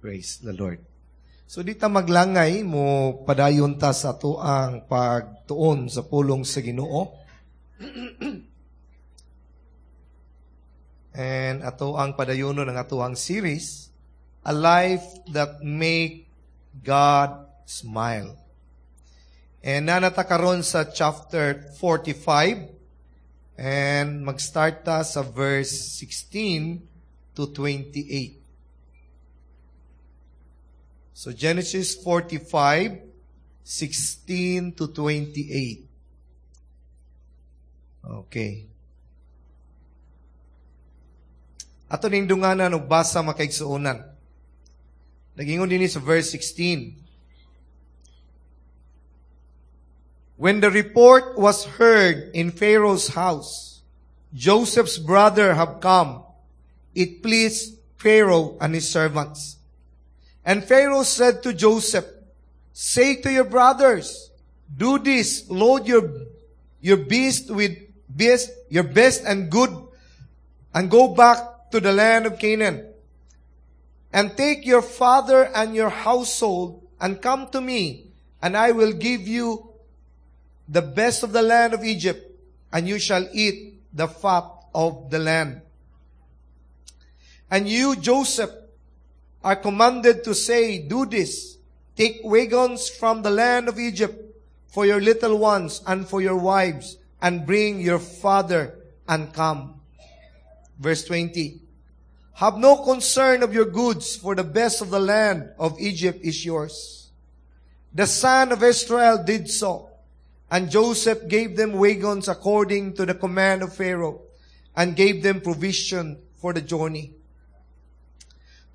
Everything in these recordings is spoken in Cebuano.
Praise the Lord. So di ta maglangay, mo padayon ta sa atoang pagtuon sa pulong sa Ginoo. And ato ang padayonon ang atoang series, A Life That Make God Smile. And nanata karon sa chapter 45 and mag-start ta sa verse 16 to 28. So Genesis 45, 16 to 28. Okay. Ato ning dunganan og basa, makaigsuonan. Nagingon dinhi sa verse 16. When the report was heard in Pharaoh's house, "Joseph's brother have come," it pleased Pharaoh and his servants. And Pharaoh said to Joseph, "Say to your brothers, 'Do this, load your beast with beast, your best and good, and go back to the land of Canaan. And take your father and your household and come to me, and I will give you the best of the land of Egypt, and you shall eat the fat of the land.' And you, Joseph, are commanded to say, 'Do this, take wagons from the land of Egypt for your little ones and for your wives, and bring your father and come.'" Verse 20. "Have no concern of your goods, for the best of the land of Egypt is yours." The son of Israel did so. And Joseph gave them wagons according to the command of Pharaoh, and gave them provision for the journey.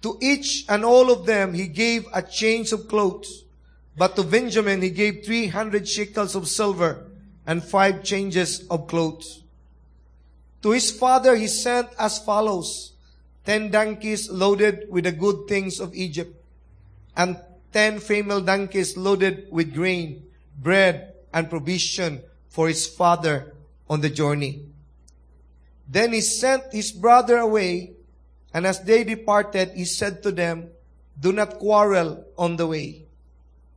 To each and all of them he gave a change of clothes, but to Benjamin he gave 300 shekels of silver and five changes of clothes. To his father he sent as follows: 10 donkeys loaded with the good things of Egypt, and 10 female donkeys loaded with grain, bread, and provision for his father on the journey. Then he sent his brother away, and as they departed, he said to them, "Do not quarrel on the way."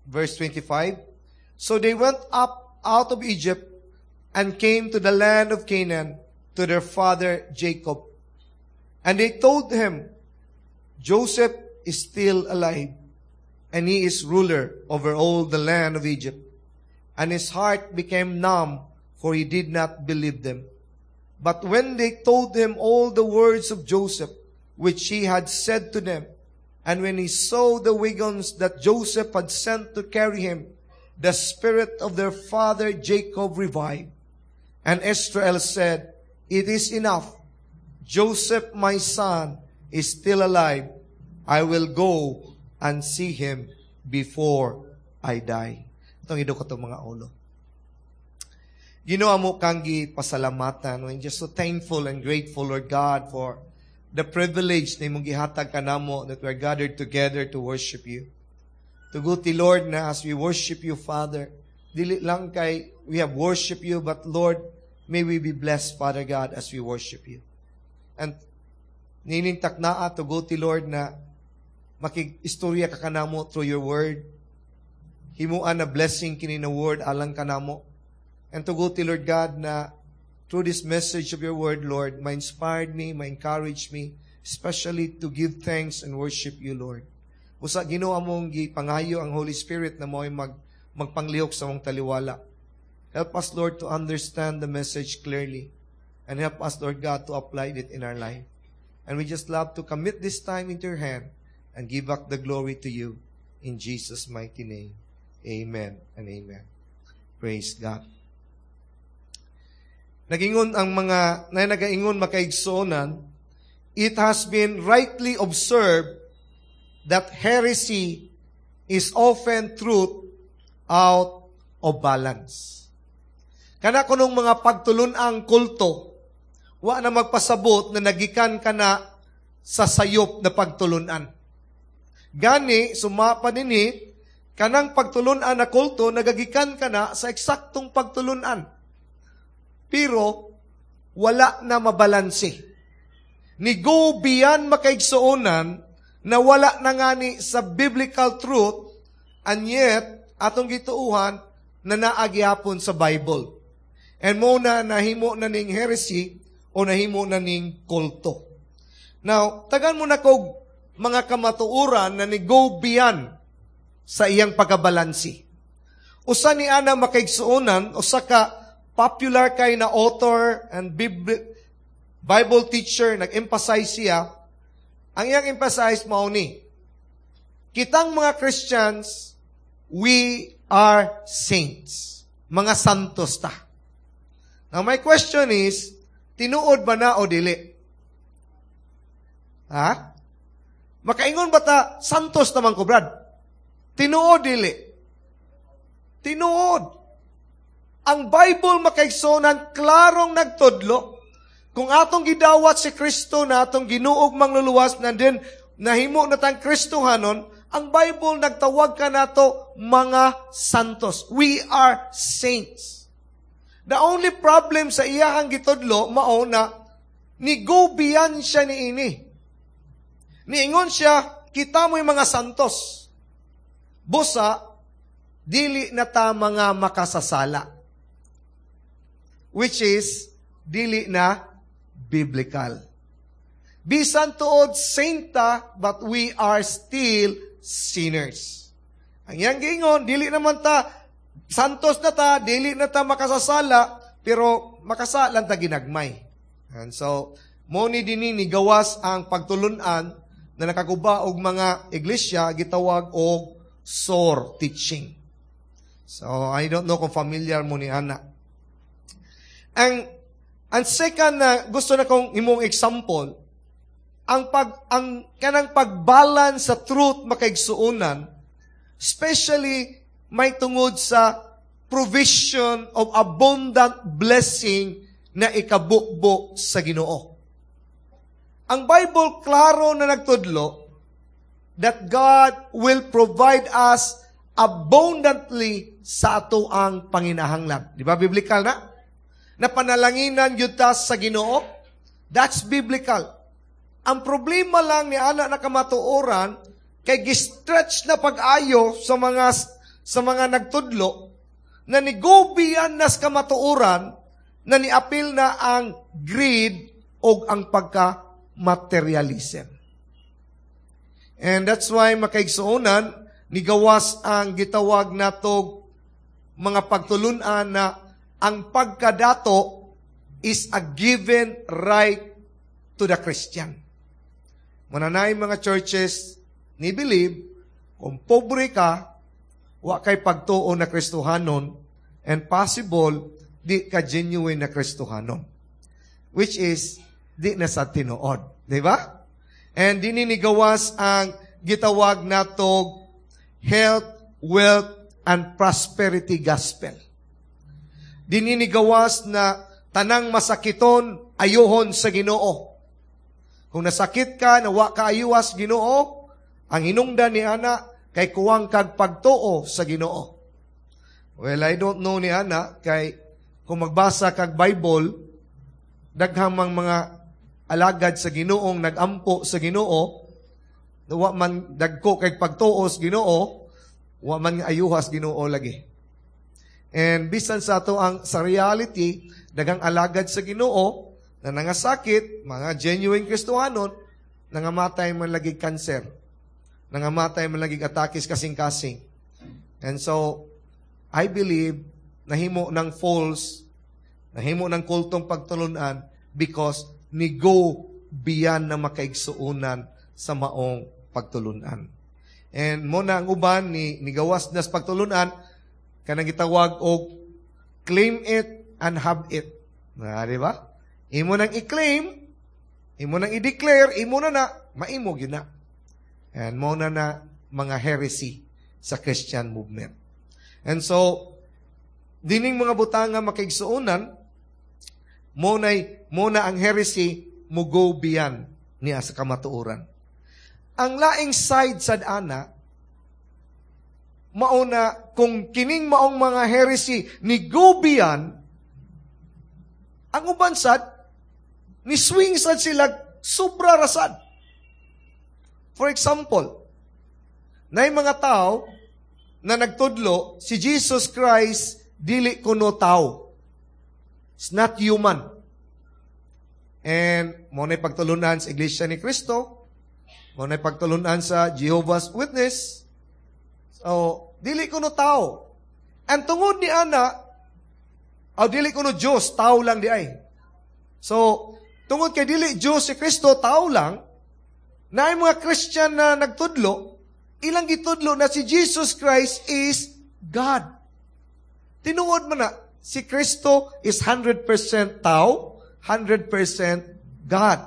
Verse 25. So they went up out of Egypt and came to the land of Canaan to their father Jacob. And they told him, "Joseph is still alive, and he is ruler over all the land of Egypt." And his heart became numb, for he did not believe them. But when they told him all the words of Joseph, which he had said to them, and when he saw the wagons that Joseph had sent to carry him, the spirit of their father Jacob revived. And Israel said, "It is enough. Joseph, my son, is still alive. I will go and see him before I die." Atong idukot atong mga ulo. Ginoo, amo kang gipasalamatan. We're just so thankful and grateful, Lord God, for the privilege na imong gihatag kanamo that we're gathered together to worship you. Tuguti, Lord, na as we worship you, Father, dili lang kay we have worship you, but Lord, may we be blessed, Father God, as we worship you. And niining taknaa, tuguti, Lord, na makig-istorya ka kanamo through your word. Himuan na blessing kini na word alang kanamo. And tuguti, Lord God, na through this message of your word, Lord, ma-inspired me, ma-encourage me, especially to give thanks and worship you, Lord. Busa Ginoo, among gipangayo ang Holy Spirit na mo'y magpanglihok sa among taliwala. Help us, Lord, to understand the message clearly. And help us, Lord God, to apply it in our life. And we just love to commit this time into your hand and give back the glory to you. In Jesus' mighty name. Amen and amen. Praise God. Nagingon ang mga na nagaingon, makaigsuonan, "It has been rightly observed that heresy is often truth out of balance." Kana kunong mga pagtulun-ang kulto, wa na magpasabot na nagikan ka na sa sayop na pagtulunan. Gani, sumapa dinhi, kanang pagtulunan na kulto, nagagikan ka na sa eksaktong pagtulunan. Pero, wala na mabalanse. Ni-go beyond, makaigsuonan, Na wala na ngani sa biblical truth, and yet atong gituuhan na naa gihapon sa Bible. And mo na nahimo na ning heresy o nahimo na ning kulto. Now, tagan mo na kog mga kamatuoran na ni go beyond sa iyang pagkabalansi. Usa ni ana, makaigsuonan, usa ka popular kay na author and Bible teacher, nag-emphasize siya. Ang iyang emphasize mao ni, kitang mga Christians, we are saints. Mga santos ta. Now my question is, tinuod ba na o dili? Ha? Makaingon ba ta, "Santos naman ko, Brad"? Tinuod, dili? Tinuod. Ang Bible, makaigsuonan, klarong nagtudlo, kung atong gidawat si Kristo na atong Ginoog Mangluluwas na din nahimo na tang Kristohanon, ang Bible nagtawag ka nato mga santos. We are saints. The only problem sa iyahang gitudlo mao na ni go beyond siya ni ini. Niingon siya, kita mo'y mga santos. Busa, dili na ta mga makasasala. Which is, dili na biblical. Bisan tuod saint ta, but we are still sinners. Ang iyang giingon, dili naman ta, santos na ta, dili na ta makasasala, pero makasala ta ginagmay. And so, mo ni dinhi ni gawas ang pagtulunan na nakaguba og mga iglesia gitawag og SOR teaching. So, I don't know kung familiar mo ni ana. Ang second na gusto na kong imong example, ang kanang pagbalance sa truth, makaigsuonan, especially may tungod sa provision of abundant blessing na ikabukbo sa Ginoo. Ang Bible klaro na nagtudlo that God will provide us abundantly sa ato ang panginahanglan. Di ba biblical na? Na panalanginan gyud ta sa Ginoo? That's biblical. Ang problema lang ni ana na kamatuoran kay gi-stretch na pag-ayo sa mga nagtudlo na ni-go beyond nas kamatuoran na niapil na ang greed o ang pagka-materialism. And that's why, makaigsuonan, nigawas ang gitawag natog mga pagtulunan na ang pagkadato is a given right to the Christian. Muna na mga churches ni believe, kung pobre ka, wa kay pagtuo na Kristohanon, and possible, di ka genuine na Kristohanon. Which is, di na sa tinuod. Di ba? And dinhi nigawas ang gitawag natog health, wealth, and prosperity gospel. Dinhi nigawas na tanang masakiton ayuhon sa Ginoo. Kung nasakit ka, na wa ka ayuhas Ginoo, ang hinungdan ni ana kay kuwang kag pagtuo sa Ginoo. Well, I don't know ni ana kay kung magbasa kag Bible, daghang mang mga alagad sa Ginoong nagampo sa Ginoo, wa man dagko kay pagtuo sa Ginoo, wa man ayuhas Ginoo lagi. And bisan sa ato ang sa reality, daghang alagad sa Ginoo na nangasakit, mga genuine Kristohanon, nangamatay man lagi cancer. Nangamatay man lagi atakis kasing-kasing. And so, I believe, nahimo ng false, nahimo ng kultong pagtulunan because ni go beyond na, makaigsuonan, sa maong pagtulunan. And mo na ang uban ni nigawas nas pagtulunan kanang gitawag og claim it and have it. Na, di ba? Imo nang i-claim, imo nang i-declare, imo na na, maimo gyud na. And mo na na mga heresy sa Christian movement. And so, dining mga butanga, makaigsuonan, mo na ang heresy mo go beyond niya sa kamatuoran. Ang laing side sad ana, mauna kung kining maong mga heresy ni go beyond, ang uban sad, ni swing sad sila sobra rasad. For example, naay mga tao na nagtudlo, si Jesus Christ dili kuno tao. It's not human. And mao na pagtulunan sa Iglesia ni Cristo, mao na pagtulunan sa Jehovah's Witness. So, dili kuno tao. And tungod ni ana, aw, dili kuno Diyos, tao lang diay. So, tungod kay dili Diyos si Kristo, tao lang, naay mga Christian na nagtudlo, ilang gitudlo na si Jesus Christ is God. Tinuod man na, si Kristo is 100% tao, 100% God.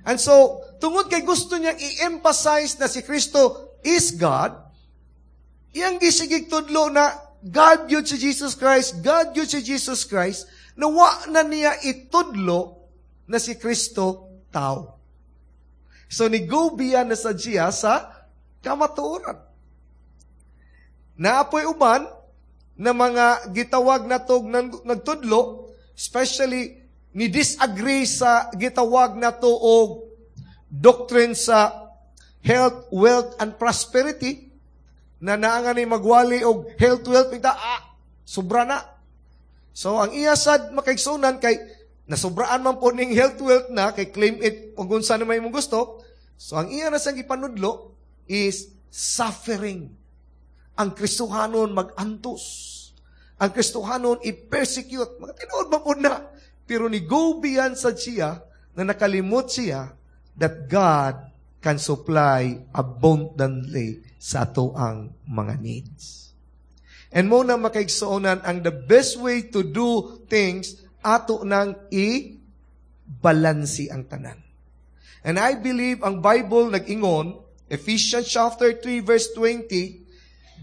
And so, tungod kay gusto niyang i-emphasize na si Kristo is God, iyang gisigig tudlo na God yun si Jesus Christ, God yun si Jesus Christ, na wa na niya itudlo na si Kristo tao. So, ni-go beyond na sa siya sa kamatuoran. Naa poy uban na mga gitawag natog nagtudlo, especially ni disagree sa gitawag nato og doctrine sa health, wealth, and prosperity, na naa nga ni magwali og health, wealth, kita, sobra na. So, ang iya sad, makaigsunan, kay nasubraan man po ning health, wealth na, kay claim it kung unsa na may mong gusto. So, ang iya na sang gipanudlo is suffering. Ang Kristohanon mag-antos. Ang Kristohanon i-persecute. Mga tinuod ba po na? Pero ni go beyond sa siya na nakalimot siya that God can supply abundantly sa ato ang mga needs. And mao na, makaigsuonan, ang the best way to do things, ato nang i-balansi ang tanan. And I believe ang Bible nag-ingon, Ephesians chapter 3 verse 20,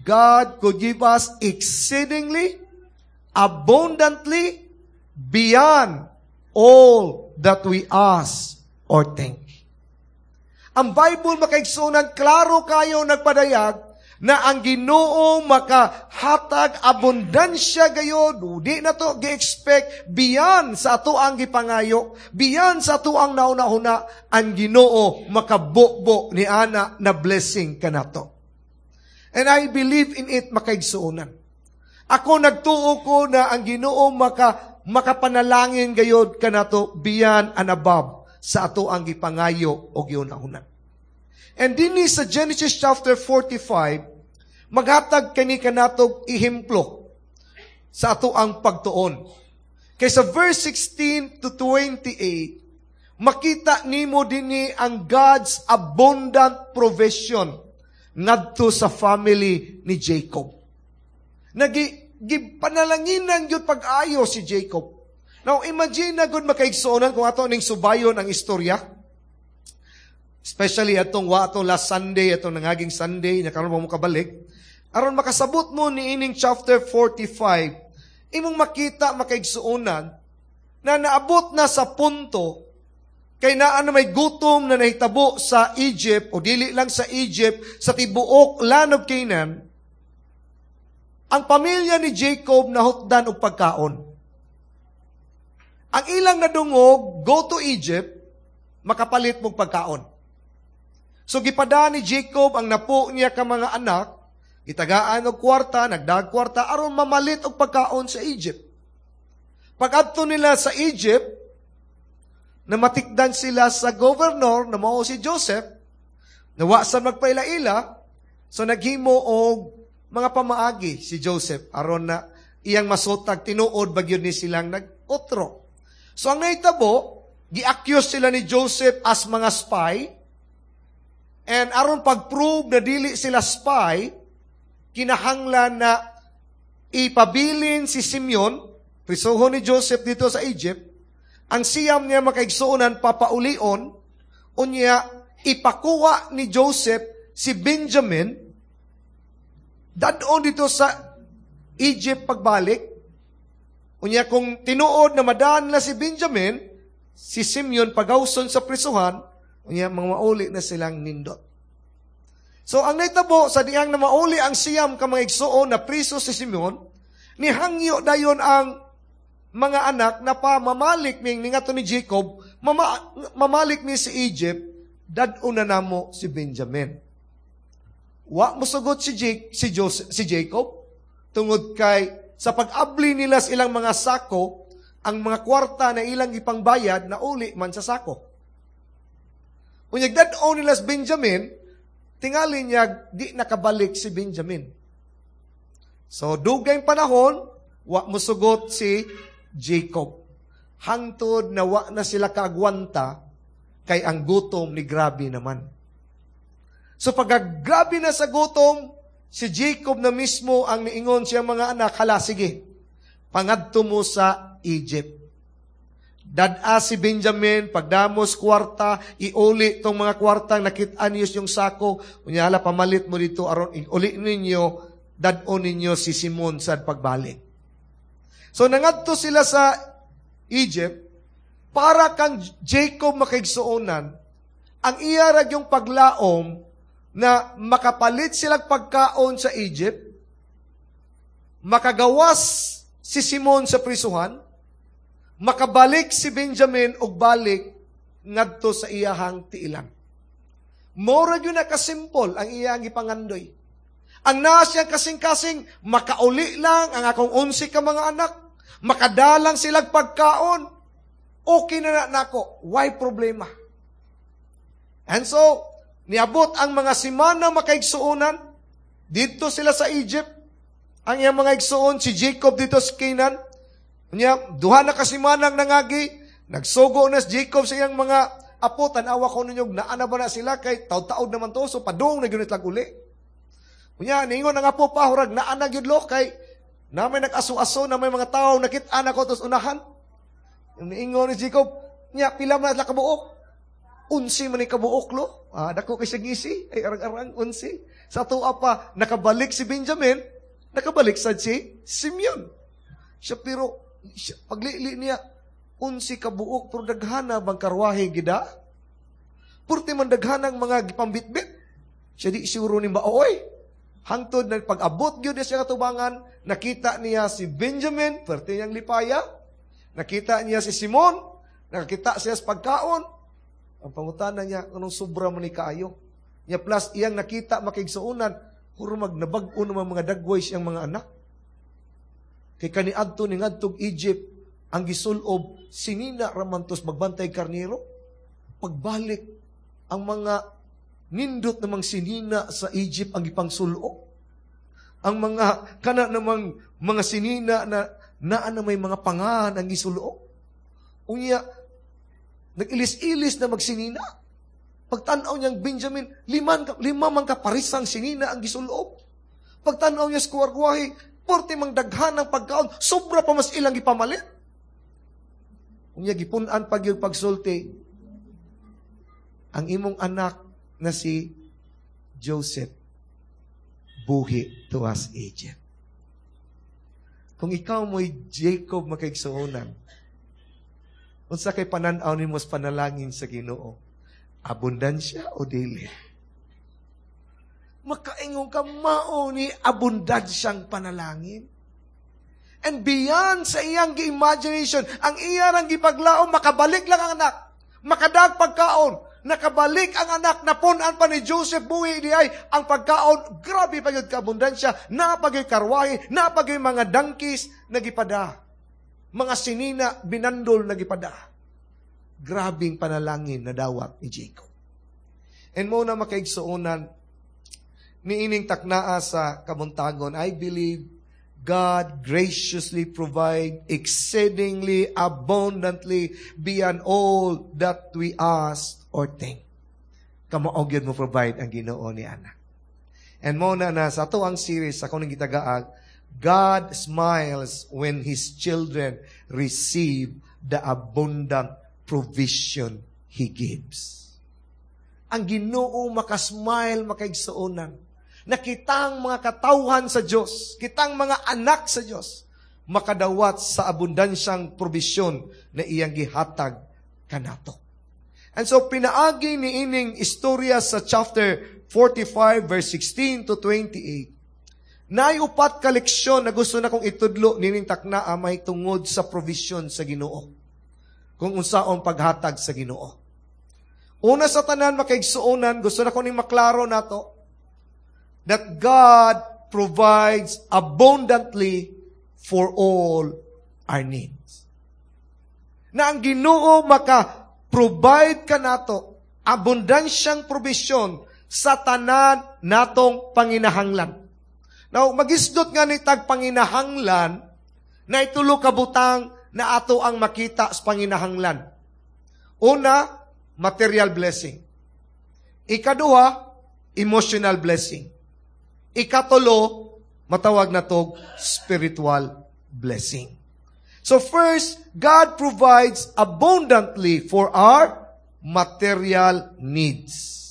God could give us exceedingly, abundantly, beyond all that we ask or think. Ang Bible, makaigsunan, klaro kayo nagpadayag na ang Ginoo makahatag abundansya gayod, di na to gi-expect, beyond sa ato ang gipangayo, beyond sa ato ang nauna-huna, ang Ginoo makabubo ni ana na blessing kanato. And I believe in it, makaigsuonan. Ako, nagtuo ko na ang Ginoo makapanalangin gayod kanato beyond and above sa ato ang gipangayo o giuna-una. And dinhi sa Genesis chapter 45, maghatag kani kanatog ehemplo sa ato ang pagtuon. Kay sa verse 16 to 28, makita nimo dinhi ang God's abundant provision ngadto sa family ni Jacob. Nagi gipanalanginan gyud pag-ayo si Jacob. Now imagine na gud, makaigsuonan, kung ato ning subayon ang istorya. Especially atong wa atong last Sunday, atong nangaging Sunday, na karon mo kabalik. Aron makasabot mo ni ining chapter 45, imong makita, makaigsuonan, na naabot na sa punto kay naa na may gutom na nahitabo sa Egypt, o dili lang sa Egypt, sa tibuok land of Canaan. Ang pamilya ni Jacob nahutdan og pagkaon. Ang ilang nadungog, go to Egypt, makapalit mong pagkaon. So gipada ni Jacob ang napo niya ka mga anak, gitagaan og kwarta, nagdag kwarta aron mamalit og pagkaon sa Egypt. Pag-adto nila sa Egypt, namatikdan sila sa governor na mao si Joseph, na wa sa magpaila-ila, so naghimo og mga pamaagi si Joseph aron na iyang masutag tinuod ba gyud ni silang nag-otro. So ang nahitabo, gi-accuse sila ni Joseph as mga spy, and aron pag-prove na dili sila spy, kinahanglan na ipabilin si Simeon, prisuhon ni Joseph dito sa Egypt, ang siyam niya, makaigsuonan, papaulion, unya ipakuha ni Joseph si Benjamin, dadon dito sa Egypt pagbalik, unya kung tinuod na madaan na si Benjamin, si Simeon pagawson sa prisuhan, unya mga mauli na silang nindot. So ang naitabo sa dihang na mauli ang siyam ka mga igsuon na priso si Simeon, nihangyo dayon ang mga anak na pa mamalik ning ningato ni Jacob, mamalik ni si Egypt. Dad-on na namo si Benjamin. Wa mosugot si Jake, si Joseph, si Jacob tungod kay sa pag-abli nila sa ilang mga sako, ang mga kwarta na ilang ipangbayad na uli man sa sako. Unyag dad-on nila si Benjamin, tingali niya di nakabalik si Benjamin. So dugay panahon, wa mosugot si Jacob. Hangtod na wa na sila kaagwanta kay ang gutom ni grabe naman. So pagkagrabe na sa gutom, si Jacob na mismo ang niingon siyang mga anak, "Hala sige, pangadto mo sa Egypt. Dad-a si Benjamin, pagdamos kwarta, iuli tong mga kwarta, nakita niyo yung sako, unya hala, pamalit mo dito, aron uli ninyo, dad-on ninyo si Simon sa pagbalik." So nangadto sila sa Egypt, para kang Jacob, makaigsuonan, ang iya ra yung paglaom na makapalit silang pagkaon sa Egypt, makagawas si Simon sa prisuhan, makabalik si Benjamin og balik ngadto sa iyahang tiilan. Mora gyud na kasimple ang iyang gipangandoy. Ang naa siyang kasing-kasing, makauli lang ang akong 11 ka mga anak, makadalang silang pagkaon, okay na na nako, why problema? And so, niabot ang mga simana, makaigsuonan, dito sila sa Egypt, ang iyang mga igsuon, si Jacob dito sa Canaan. Unya, 2 na ka simanang nangagi, nagsugo na si Jacob sa iyang mga apo, "Tanawa ko ninyo, naa na ba na sila kay taud-taud naman to, so padung na gyud lang uli." Unya, ningon ang apo pa, "Hurag naa na gyud lo, kay na may nag-aso-aso, na may mga tao, nakit-an ako tos unahan." Niingon ni Jacob, "Nya, pila man na kabuok?" "11 man ni kabuok lo." Ah, dako kay siya ngisi, ay arang-arang 11. Sa tuwa pa, nakabalik si Benjamin, nakabalik sad si Simeon. Siya pero, siya, paglili niya, 11 kabuok, pero daghana bang karwahe gida? Purti man daghanang mga gipambitbit. Siya di siguro ni maoy. Hangtod na pag-abot gyud siya katubangan, nakita niya si Benjamin, perte niyang lipaya. Nakita niya si Simon, nakakita siya sa pagkaon. Ang pangutana niya, anong sobra man ni kaayo? Niya plus iyang nakita, makigsuonan, hurmag nabag-o naman mga dagway siyang mga anak. Kay kaniadto ni ngadtog Egypt, ang gisulob, sinina ramantos magbantay karniro. Pagbalik, ang mga nindot namang sinina sa Egypt ang gipangsulob. Ang mga kana namang mga sinina na naa na may mga pangan ang gisulob. Unya, nag-ilis-ilis na magsinina. Pagtanaw niyang Benjamin, lima man ka parisang sinina ang gisulob. Pagtanaw niya sa kuwargwahe, porte mang daghan ng pagkaon, sobra pa mas ilang gipamalit. Unya, gipun-an pag yung pagsulti, ang imong anak na si Joseph, buhi tuas Egypt. Kung ikaw mo'y Jacob, makaigsuonan, unsa kay panan-aw nimo sa panalangin sa Ginoo? Abundansya o dili? Makaingon ka, mao ni abundansyang panalangin. And beyond sa iyang gi-imagination, ang iya rang gipaglaom, makabalik lang ang anak, makadag pagkaon, nakabalik ang anak, napun-an pa ni Joseph buhi di ay, ang pagkaon, grabe pa yun kaabundansya, napagay karwahe, napagay mga donkeys, nagipada. Mga sinina, binandol, nagipada. Grabing panalangin na dawat ni Jacob. And mo na makaigsuonan, niining taknaa sa kabuntagon, I believe God graciously provide exceedingly abundantly beyond all that we ask or think. Kamao gyud mo provide ang Ginoo ni ana. And mo na na sa ato ang series sa akong gitagaag, God smiles when His children receive the abundant provision He gives. Ang Ginoo makasmile, makaigsuonan, na kitang mga katawhan sa Diyos, kitang mga anak sa Diyos, makadawat sa abundansyang probisyon na iyang gihatag kanato. And so, pinaagi ni ining istorya sa chapter 45, verse 16 to 28, naay upat ka leksyon na gusto na kong itudlo nining takna may tungod sa provision sa Ginoo. Kung unsaon paghatag sa Ginoo. Una sa tanan, makaigsuonan, gusto na ko ning maklaro nato that God provides abundantly for all our needs. Na ang Ginoo maka-provide kanato abundansyang provision sa tanan natong panginahanglan. Now, magisdot nga ni tag panginahanglan na itulo ka butang na ato ang makita sa panginahanglan. Una, material blessing. Ikaduha, emotional blessing. Ikatulo, matawag na to spiritual blessing. So first, God provides abundantly for our material needs.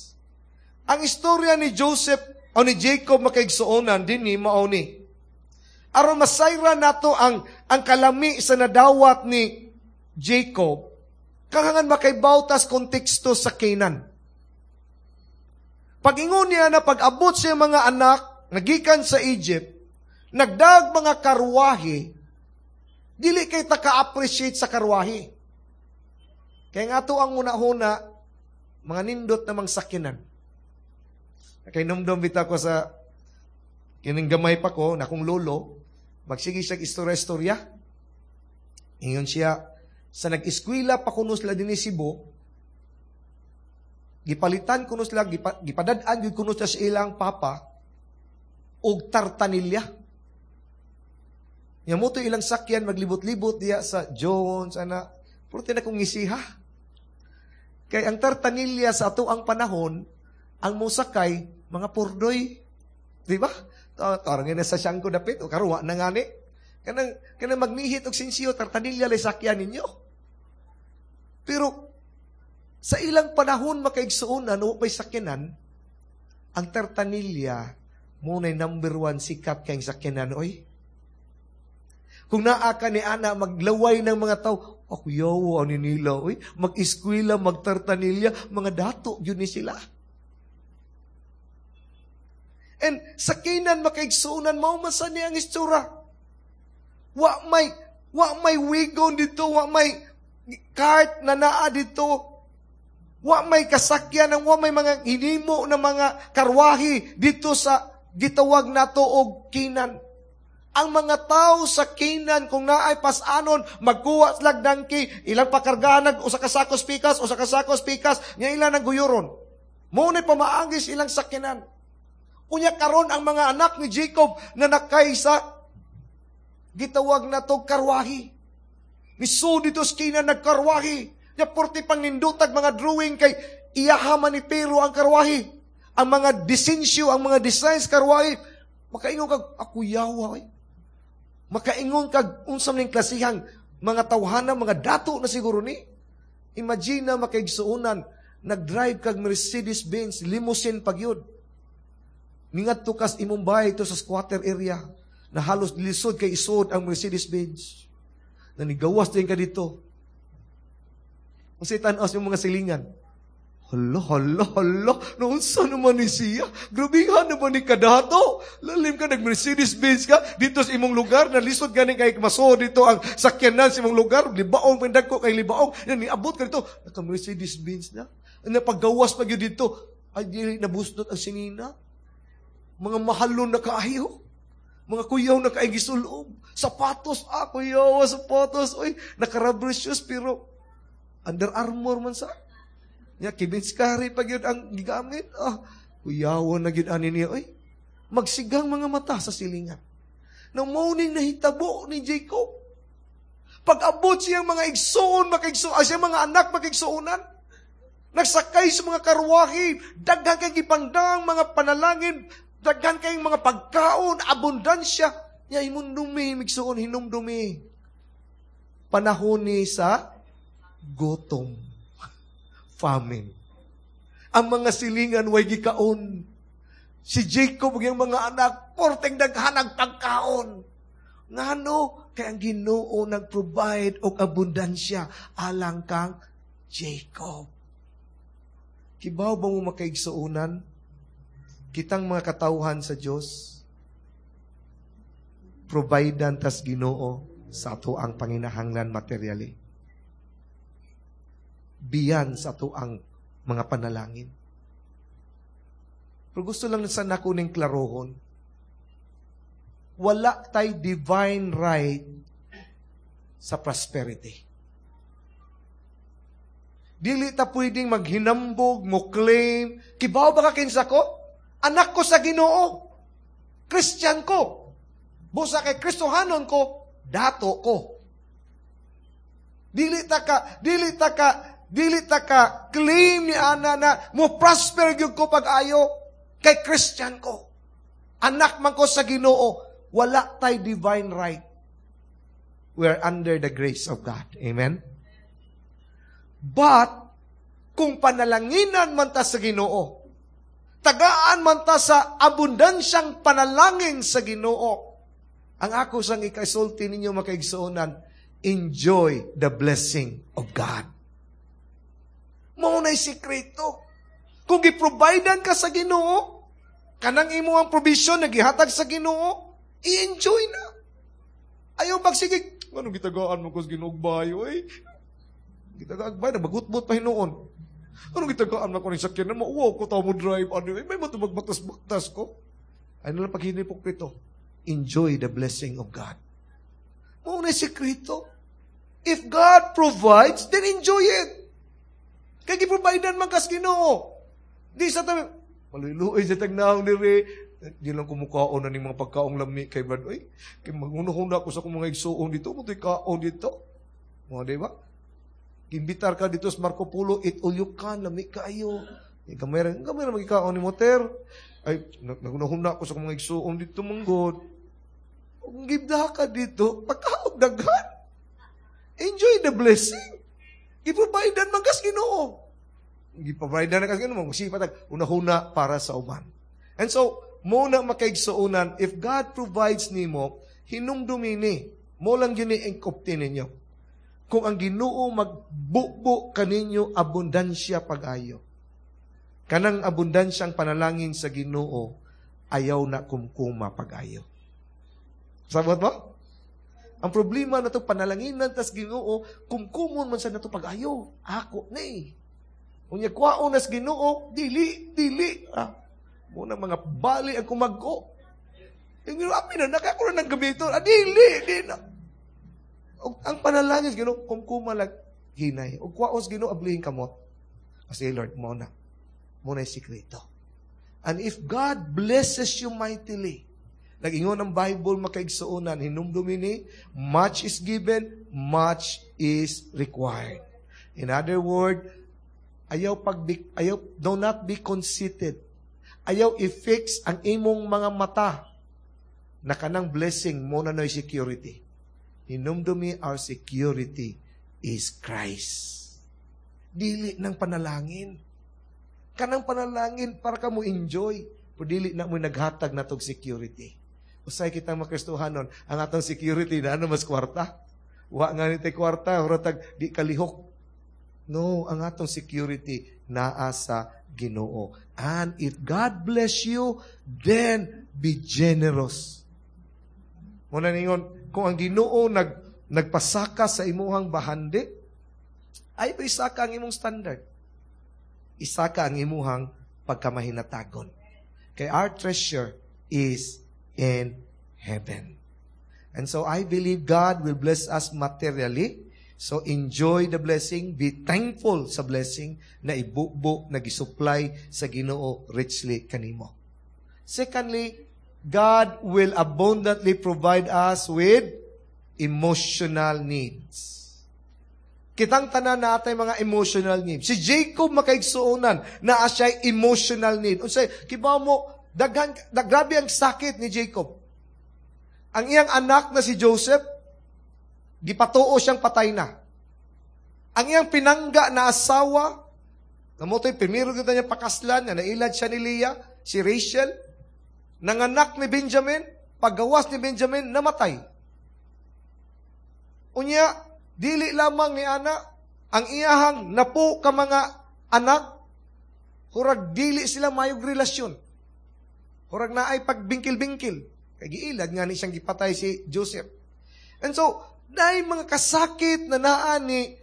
Ang istorya ni Joseph o ni Jacob, makaigsuonan, dinhi mao ni. Aron masayra nato ang kalami sa nadawat ni Jacob, kinahanglan makaibaw tas konteksto sa Canaan. Pag-ingon niya na pag-abot siya mga anak, nagikan sa Egypt, nagdag mga karwahe, dili kay ta ka-appreciate sa karwahe. Kaya nga to ang una-una, mga nindot namang sakyanan. Kay numdum bitaw ko sa kining gamay pa ko, na akong lolo, magsige siya istorya-istorya. Ingon siya, sa nag-eskwela pa kuno sila dinhi Cebu, gipalitan kuno sila, gipadad-an gyud kuno sila sa ilang papa, og tartanilya. Nya mo to ilang sakyan maglibot-libot diya sa Jones, ana. Pero na kong ngisiha. Kay ang tartanilya sa ato ang panahon, ang mosakay, mga purdoy. Di ba? Tarang na sa siyang ko dapit, o karuwa na ngani. Kanang magnihit og sinsiyo, tartanilya lay sakyan ninyo. Pero, sa ilang panahon makaigsuonan, o pa'y sakyanan, ang tartanilya, muna'y number one sikat kayong sakyanan, oy. Kung naa ka ni ana, maglaway ng mga tao, ako yawo, ani nila, oy, mag-eskwela, magtartanilya, mga dato, yun ni sila. And sa Canaan makaigsuonan, mao man sa niya ang istura. Wa may wagon dito, wa may cart na naa dito. Wa may kasakyan, ang wa may mga hinimo na mga karwahi dito sa gitawag nato og Canaan. Ang mga tao sa Canaan, kung naay pasanon, magkuha sila donkey, ilang pakargahan nag usa ka sakos pikas, usa ka sakos pikas, nga ilang nang guyuron. Mao ni pamaagis ilang sakyanan. Unya karon ang mga anak ni Jacob na nakay sa gitawag na to karwahi. Misud dito sa Canaan nagkarwahi. Nya porti pang nindutag mga drawing kay iyaha man ni pero ang karwahi. Ang mga disenyo, ang mga designs karwahi, makaingon kag ako yawa oy. Makaingon kag unsa man ning klasihang mga tawhana, mga dato na siguro ni. Imagine na makaigsuonan, nag-drive kag Mercedes-Benz, limousine pagyud. Ningadto kas imong bahay ito sa squatter area na halos lisod kay isod ang Mercedes-Benz. Na nigawas din ka dito. Kasi tan-aw yung mga silingan. Hala, hala, hala. Naunsa naman ni siya? Grabihan naman ni kadato. Lalim ka, nag-Mercedes-Benz ka dito sa imong lugar, nalisod gani kay masod dito ang sakyanan sa imong lugar. Libaong, pindag ko kay libaong. Yan, niabot ka dito. Naka-Mercedes-Benz na. Napagawas pa yun dito. Ay, dili nabusnot ang singina. Mga mahalon na kaayo. Mga kuyaw na kaay gisulob. Sapatos, kuyaw, sapatos. Oy, naka-rubber shoes, pero Under Armour man sa. Ya, Kevin Scarry pag yun ang gigamit. Kuyaw na gyud ani niya. Oy, magsigang mga mata sa silingan. Nang morning nahitabo ni Jacob. Pag-abot siyang mga igsoon, makigsoon, siyang mga anak makigsuonan. Nagsakay sa mga karwahe, daghan kay gipangdang mga panalangin, daghan kay mga pagkaon, abundansya. Nya hinumdumi, migsuon, hinumdumi. Panahon ni sa gutom, famine. Ang mga silingan way gikaon. Si Jacob ug iyang mga anak, porteng daghan ang pagkaon. Ngano? Kay ang Ginoo nag-provide og abundansya alang kang Jacob. Kibaw ba mo makaigsuonan? Kitang mga katawhan sa Dios, providean tas Ginoo sa ato ang panginahanglan materially. Biyan sa ato ang Mga panalangin. Pero gusto lang sa nako ning klarohon. Wala tay divine right sa prosperity. Dili ta pwedeng maghinambog, mo claim, "Kibaw ba ka kinsa ko? Anak ko sa Ginoo. Christian ko. Busa kay Kristohanon ko, dato ko." Dili ta ka claim ni ana na mo prosper gyud ko pag-ayo kay Christian ko. Anak man ko sa Ginoo, wala tay divine right. We are under the grace of God. Amen? But, kung panalanginan man ta sa Ginoo, tagaan man ta sa abundansyang panalangin sa Ginoo, ang ako sang ikasulti ninyo, makaigsuonan, enjoy the blessing of God. Mao na'y sikreto. Kung giprovidean ka sa Ginoo, kanang imo ang provision na gihatag sa Ginoo, i-enjoy na. Ayaw magsige, "Ano gitagaan mo ko sa Ginoo bayo eh? Gitagaan ba nagbagot-bot pa hinuon. Ano gitagaan mo ko ning sakyanan mo? Wow ko tao mo drive ano eh. May mo magbaktas-baktas ko." Ano lang paghinipok? Enjoy the blessing of God. Mao na sikreto. If God provides, then enjoy it. Kay giprovidean man kas Ginoo. Di sa tabi, "Maluyloy sa tagnaong diri. Di lang kumukaon na ning mga pagkaong lami kay Brad. Oy, kay maghuna-huna ko sa akong mga igsuon dito, mo kaon dito." Mga di ba? Imbitar ka dito sa Marco Polo, eat all you can, lami kaayo. Eh, gamay ra, gamay ra magikaon ni moter. "Ay, naghuna-huna ko sa akong mga igsuon dito, manggod." Kung gibda ka dito, pagkaog daghan. Enjoy the blessing. Giprovidean man kas Ginoo. Giprovidean na kas Ginoo, magsipat una-huna para sa uban. And so, mo na, makaigsuonan, if God provides nimo, hinumdumi ni, mo lang yun ni engkopti ninyo. Kung ang Ginoo magbubo kaninyo abundansya pag-ayo, kanang abundansyang panalangin sa Ginoo, ayaw na kumkuma pag-ayo. Sabot mo? Ang problema na to, panalanginan tas Ginoo, kumkumon man sa nato pag-ayo. Ako ni. Unya kwaon nas Ginoo, dili, dili. Ah, muna mga bali ang kumagko. Yung Ginoo, amin na, nakako na ng gabi ito. Ah, dili, di na. Og ang panalangin sa Ginoo, kumkuma lang hinay. Og kwaon sa Ginoo, ablihin kamot. Kasi Lord, mo na. Mo na yung sikreto. And if God blesses you mightily, nag-ingon ang Bible, makaigsuonan, hinumdumi ni, much is given, much is required. In other word, ayaw pag ayaw do not be conceited. Ayaw i-fix ang imong mga mata na kanang blessing mo na no'y security. Hinumdumi, our security is Christ. Dili ng panalangin. Kanang panalangin para ka mo enjoy. Pero dili na mo naghatag na tog security. Usay kita mga Kristohanon, ang atong security na ano mas kwarta. Wa nga ni kwarta, tag di kalihok. No, ang atong security naa sa Ginoo. And if God bless you, then be generous. Muna ningon, kung ang Ginoo nagpasaka sa imuhang bahandi, ay ba isaka ang imong standard? Isaka ang imuhang pagkamahinatagon. Kay our treasure is in heaven. And so I believe God will bless us materially. So enjoy the blessing, be thankful sa blessing na ibubo, na gisupply sa Ginoo richly kanimo. Secondly, God will abundantly provide us with emotional needs. Kitang tanan na atay mga emotional needs. Si Jacob, makaigsuonan, naa siya emotional need. Unsay kibaw mo, daghan grabe ang sakit ni Jacob. Ang iyang anak na si Joseph, gipatuo siyang patay na. Ang iyang pinangga na asawa, namotoy primero kita niya pakaslan, nga nailad siya ni Leah, si Rachel, nanganak ni Benjamin, paggawas ni Benjamin, namatay. Unya, dili lamang ni ana, ang iyahang napo ka mga anak, hurag dili sila mayog relasyon. Hurag naay pagbingkil-bingkil. Kay giilad nga ni siyang gipatay si Joseph. And so, dahil mga kasakit na naa ni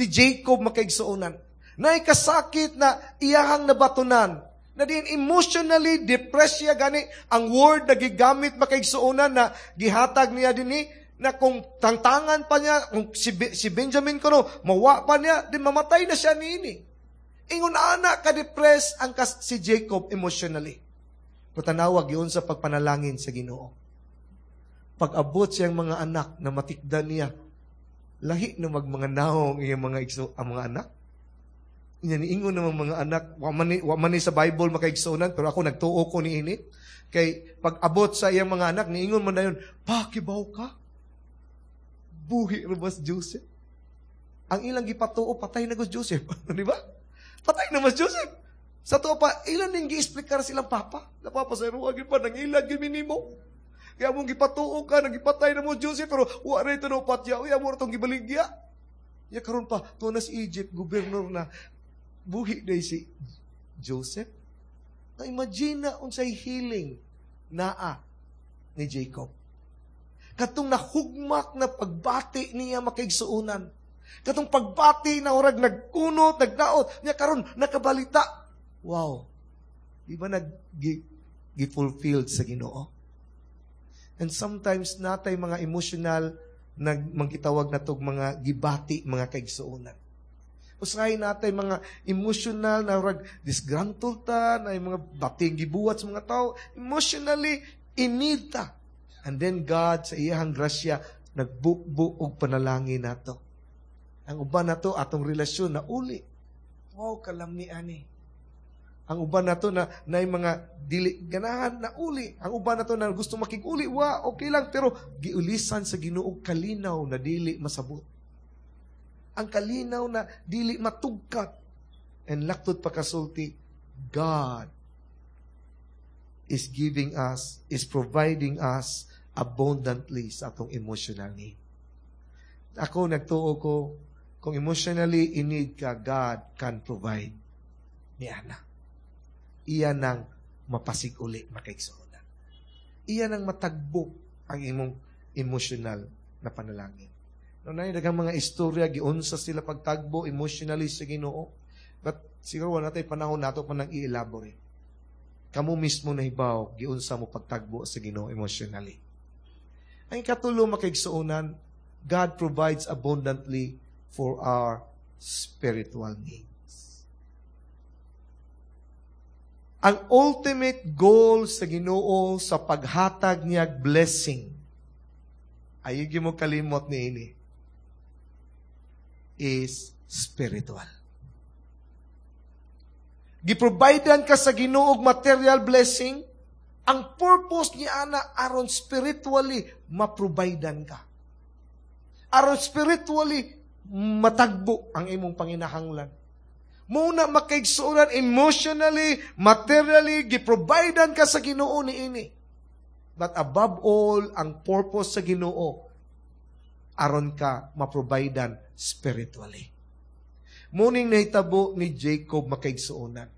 Jacob, makaigsuonan. Naay kasakit na iyahang nabatunan. Na diin emotionally depressed siya, gani ang word na gigamit, makaigsuonan, na gihatag niya dinhi na kung tangtangan pa niya, kung si Benjamin kuno, mawa pa niya, di mamatay na siya niini. Ingon ana ka-depressed ang si Jacob emotionally. Patanawa yun sa pagpanalangin sa Ginoo. Pag-abot siyang mga anak na matikdan niya, lahi na magmanga naong iyang mga igso, ang mga anak. Inya niingon naman mga anak, wa man ni sa Bible, makaigsuonan, pero ako nagtuo ko ni ini. Kay pag abot sa iyang mga anak, niingon man na yun, "Pa, kibaw ka? Buhi ra ba si Joseph?" Ang ilang gipatuo, patay na si Joseph. Di ba? Patay na mas Joseph. Sa tuo pa, ilan din gi-explicar silang papa. Na papa sa ruwa, pa, nang ilag minimo. Kaya mong gipatuo ka, nagipatay na mo Joseph, pero wa na ito no patya, uya mo itong gibaligya. Ya karon pa, tuwa na si Egypt, gobernador na, buhi na si Joseph. Na imagine na unsay healing naa ni Jacob. Katong nahugmak na pagbati niya, makaigsuonan. Katong pagbati na urag nagkunot, nagdaot, niya karon nakabalita. Wow. Di ba nag gi-fulfilled sa Ginoo? And sometimes natay mga emotional nag mangkitawag na tog mga gibati, mga kaigsuonan. Usahay natay mga emotional na rag disgruntled ta, na yung mga bating gibuhat sa mga tao, emotionally in need ta. And then God sa iyahang grasya nagbukbo og panalangin nato. Ang uban nato atong relasyon na uli. Wow, kalami ani. Ang uban nato na na mga dili ganahan na uli. Ang uban nato na gusto makig-uli, wa okay lang, pero giulisan sa Ginoo kalinaw na dili masabot. Ang kalinaw na dili matugkat. And laktod pa kasulti, God is giving us, is providing us abundantly sa atong emotional need. Ako, nagtuo ko, kung emotionally in need ka, God can provide niana. Iya nang mapasig-uli, makaigsuonan. Iya nang matagbo ang imong emotional na panalangin. No, na daghang mga istorya giunsa sila pagtagbo emotionally sa Ginoo. But siguro wala tay panahon nato pa nang i-elaborate. Kamo mismo nahibaw giunsa mo pagtagbo sa Ginoo emotionally. Ang ikatulo, makaigsuonan, God provides abundantly for our spiritual needs. Ang ultimate goal sa Ginoo sa paghatag niya blessing, ayaw mo kalimot ni ini, is spiritual. Giprovidean ka sa Ginoo og material blessing, ang purpose niya ana aron spiritually maprovidean ka. Aron spiritually matagbo ang imong panginahanglan. Muna, makaigsuonan, emotionally, materially, giprovidean ka sa Ginoo ni ini. But above all, ang purpose sa Ginoo aron ka maprovidean spiritually. Muning nahitabo ni Jacob, makaigsuonan.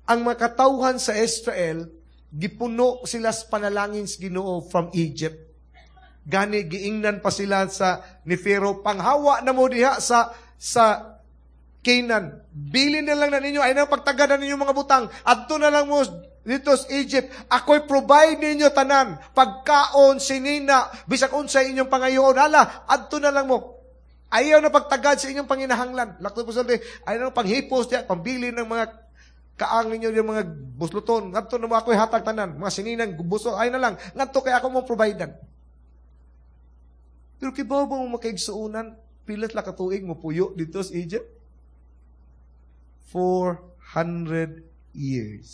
Ang makatawhan sa Israel, gipuno sila sa panalangin sa Ginoo from Egypt. Gani giingnan pa sila sa ni Pharaoh, "Panghawa na mo diha sa Canaan. Bilin na lang na ninyo, ay nang pagtagad na ninyo mga butang. Adto na lang mo dito sa Egypt. Ako'y provide ninyo tanan. Pagkaon, sinina, bisag unsa inyong pangayoon. Hala, adto na lang mo. Ayaw na pagtagad sa inyong panginahanglan." Lakto po sa ayaw na panghipos diya, pambili ng mga kaang ninyo yung mga busluton. "Ngadto na mo, ako'y hatag tanan. Mga sininang buso, ay na lang. Ngadto kay ako mo providean." Pero kibaw ba mo, makaigsuonan, pila la katuig mo puyo dito sa Egypt? 400 years.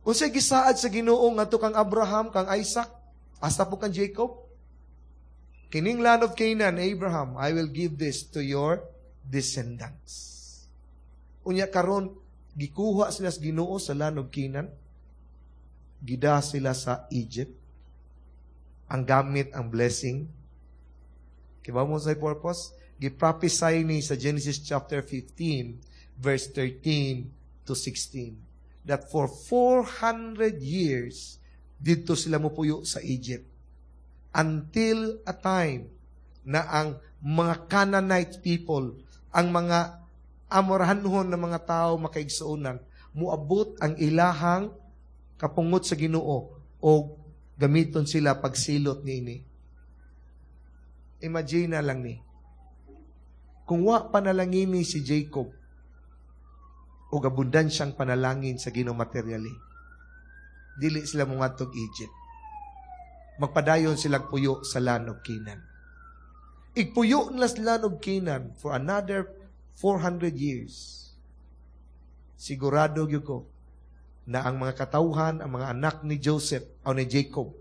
Unsay gisaad sa Ginoo ngadto kang Abraham, kang Isaac, hasta po kang Jacob? "Kining land of Canaan, Abraham, I will give this to your descendants." Unya karon gikuha sila sa Ginoo sa land of Canaan. Gida sila sa Egypt. Ang gamit ang blessing. Kibaw mo sa purpose? Giprophesy ni sa Genesis chapter 15 verse 13 to 16 that for 400 years dito sila mupuyo sa Egypt until a time na ang mga Canaanite people Ang mga Amorhanhon na mga tao, makaigsuonan, muabot ang ilahang kapungot sa Ginoo o gamiton sila pagsilot niini. Imagine na lang ni. Kung wa panalangini si Jacob o abundansyang panalangin sa Ginoo materially, dili sila mongadtog Egypt. Magpadayon silang puyo sa land of Canaan. Igpuyo nila sa land of Canaan for another 400 years. Sigurado gyud ko na ang mga katawhan, ang mga anak ni Joseph o ni Jacob,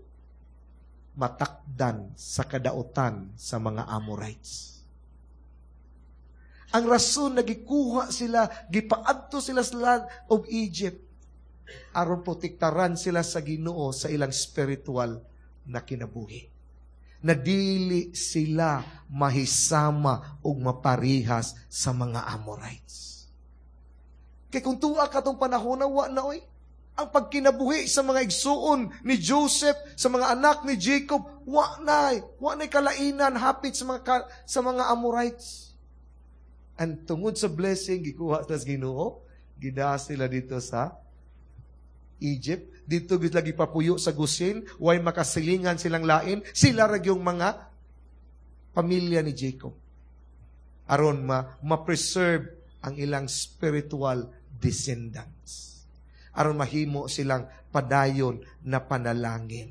matakdan sa kadautan sa mga Amorites. Ang rason na gikuha sila, gipaadto sila sa land of Egypt, aron protektaran sila sa Ginoo sa ilang spiritual na kinabuhi. Na dili sila mahisama ug maparihas sa mga Amorites. Kay kung tuwa katong panahon na, wa na oy. Ang pagkinabuhi sa mga igsuon ni Joseph, sa mga anak ni Jacob, wa na, wa na kalainan hapit sa mga Amorites. And tungod sa blessing gikuha sa Ginoo, gidaa sila dito sa Egypt. Dito gid lagi papuyo sa Goshen, way makasilingan silang lain, sila ra yung mga pamilya ni Jacob. Aron ma ma-preserve ang ilang spiritual descendants. Aron mahimo silang padayon na panalangin.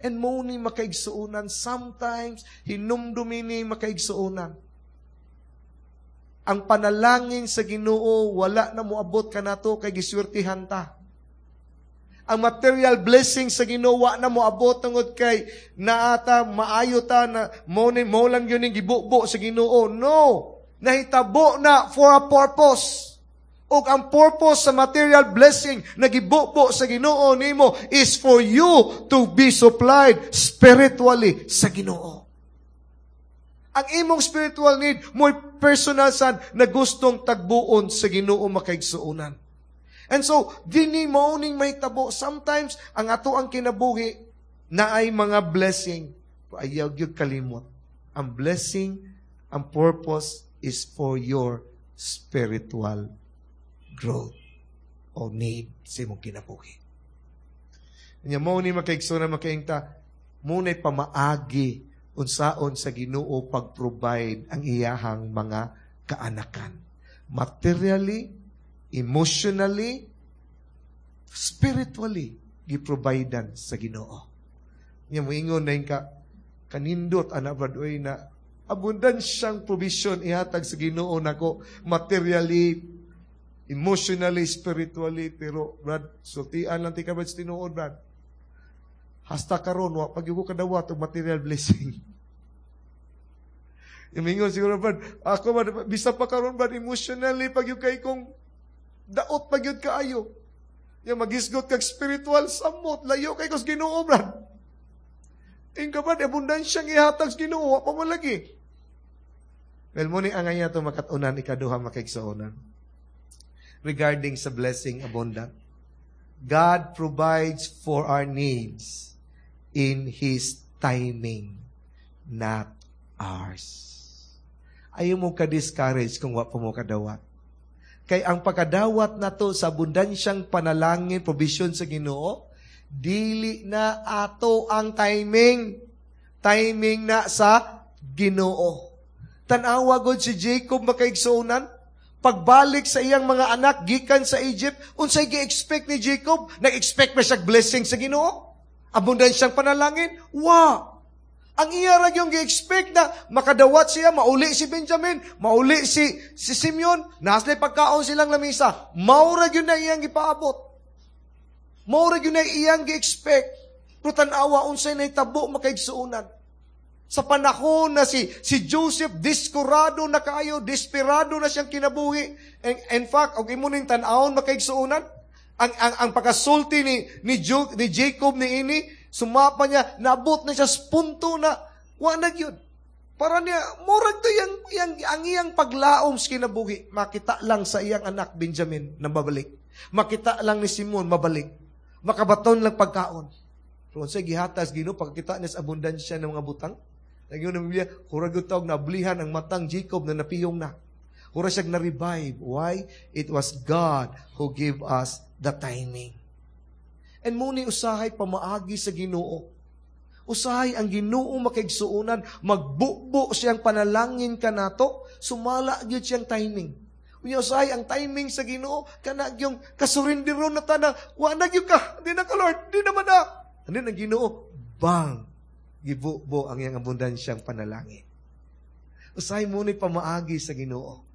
And mo ni, makaigsuonan, sometimes hinumdumi ni, makaigsuonan. Ang panalangin sa Ginoo wala na moabot kanato kay giswertihan ta. Ang material blessing sa Ginoo wa na moabot tungod kay naata maayo ta na mo ni mo lang yun yung gibubo sa Ginoo. No. Nahitabo na for a purpose. Ug ang purpose sa material blessing na gibubo sa Ginoo nimo is for you to be supplied spiritually sa Ginoo. Ang imong spiritual need mo'y personal sad na gustong tagbuon sa Ginoo, makaigsuonan. And so, dini mao ning mahitabo. Sometimes, ang ato ang kinabuhi na ay mga blessing. Ayaw gyud kalimot. Ang blessing, ang purpose is for your spiritual growth o need sa imong kinabuhi. Nya mo ni, makaigsuonan, makaingta, muna'y pamaagi unsaon sa Ginoo pag-provide ang iyahang mga kaanakan. Materially, emotionally, spiritually, giprovidean sa Ginoo. Nya moingon na ka, kanindot ana, brad, oy, na abundansyang provision ihatag sa Ginoo nako materially, emotionally, spiritually, pero brad, sultian lang tika, brad, sa tinuod, brad. Hasta karon wa pag ko kadawat og material blessing. Imingon siguro, brad, ako brad, bisa pa karon, brad, emotionally pag kay kong daot pag yun kaayo. Yung magisgot kag spiritual, samot, layo kay kos Ginoo, brad. Ingka, brad, abundansyang ihatag sa Ginoo, wa pa mo lagi. Well, mo ni ang aya to makatunan, ikaduha, makaigsuonan. Regarding sa blessing abundant. God provides for our needs in His timing, not ours. Ayaw mo ka-discourage kung wa pa mo kadawat. Kay ang pagkadawat nato sa abundansyang panalangin, provision sa Ginoo, dili na ato ang timing. Timing na sa Ginoo. Tan-awa gud si Jacob, makaigsuonan. Pagbalik sa iyang mga anak gikan sa Egypt, unsay gi-expect ni Jacob? Nag-expect ba siya blessing sa Ginoo? Abundansyang panalangin? Wa. Ang iya ra yung gi-expect na makadawat siya, mauli si Benjamin, mauli si Simeon, naa sila'y pagkaon silang lamisa. Mao ra gyud na iyang gipaabot. Mao ra gyud na iyang gi-expect. Pero tan-awa unsay nahitabo, makaigsuonan. Sa panahon na si Joseph diskurado na kaayo, desperado na siyang kinabuhi. And, in fact, og imo ning tan-awon, makaigsuonan, ang pagkasulti ni Jacob ni ini, sumapa niya, naabot na siya sa punto na, wa na gyud. Para niya, murag to yang, ang iyang paglaom sa kinabuhi, makita lang sa iyang anak Benjamin na babalik. Makita lang ni Simon mabalik. Makabaton lang pagkaon. Pero unsay gihatag Ginoo pagkita niya sa abundansya ng mga butang? Nagyun ang Biblia, hurag tawag nablihan ang matang Jacob na napiyong na. Mura siya na-revive. Why? It was God who gave us the timing. And mao ni usahay pamaagi sa Ginoo. Usahay ang Ginoo, makaigsuonan, magbubo siyang panalangin kanato, sumala gyud siyang timing. Unya usahay ang timing sa Ginoo kana gyung kasurrender na ta na wa na gyud ka, di na ka, Lord, di na man na. Ano ang Ginoo? Bang! Gibubo ang iyang abundansyang panalangin. Usahay mao ni pamaagi sa Ginoo.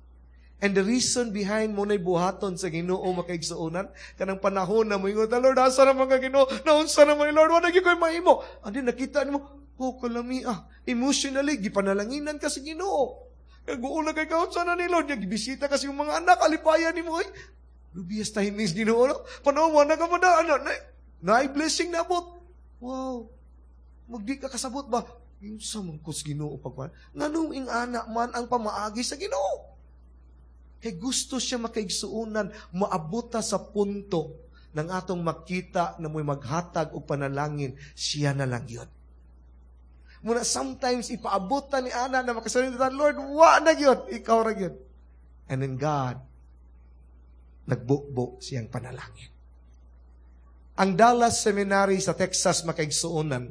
And the reason behind mao na'y buhaton sa Ginoo, makaigsuonan, kanang panahon na moingon ta, "Lord, asa naman ka, Ginoo? Naunsa naman, Lord, wala gyud ko'y mahimo." And then nakita nimo, oh, kalami ah. Emotionally, gipanalanginan ka sa Ginoo. Kaguol na kay kaunsa na ni Lord, gibisita kasi yung mga anak, alipayan nimo, ay, dubious timings Ginoo, no? Panahon, wala ka pa na, ano, na, na blessing na abot. Wow. Magdi ka kasabot ba? Yung sa mangkos Ginoo pagpan. Nganong ing-ana man ang pamaagi sa Ginoo? Kay gusto siya, makaigsuonan, maabot ta sa punto ng atong makita na mo'y maghatag og panalangin, siya na lang yun. Muna sometimes ipaabot ta ni ana na makasurrender ta, "Lord, wa na gyud, ikaw ra gyud." And then God, nagbukbo siyang panalangin. Ang Dallas Seminary sa Texas, makaigsuonan,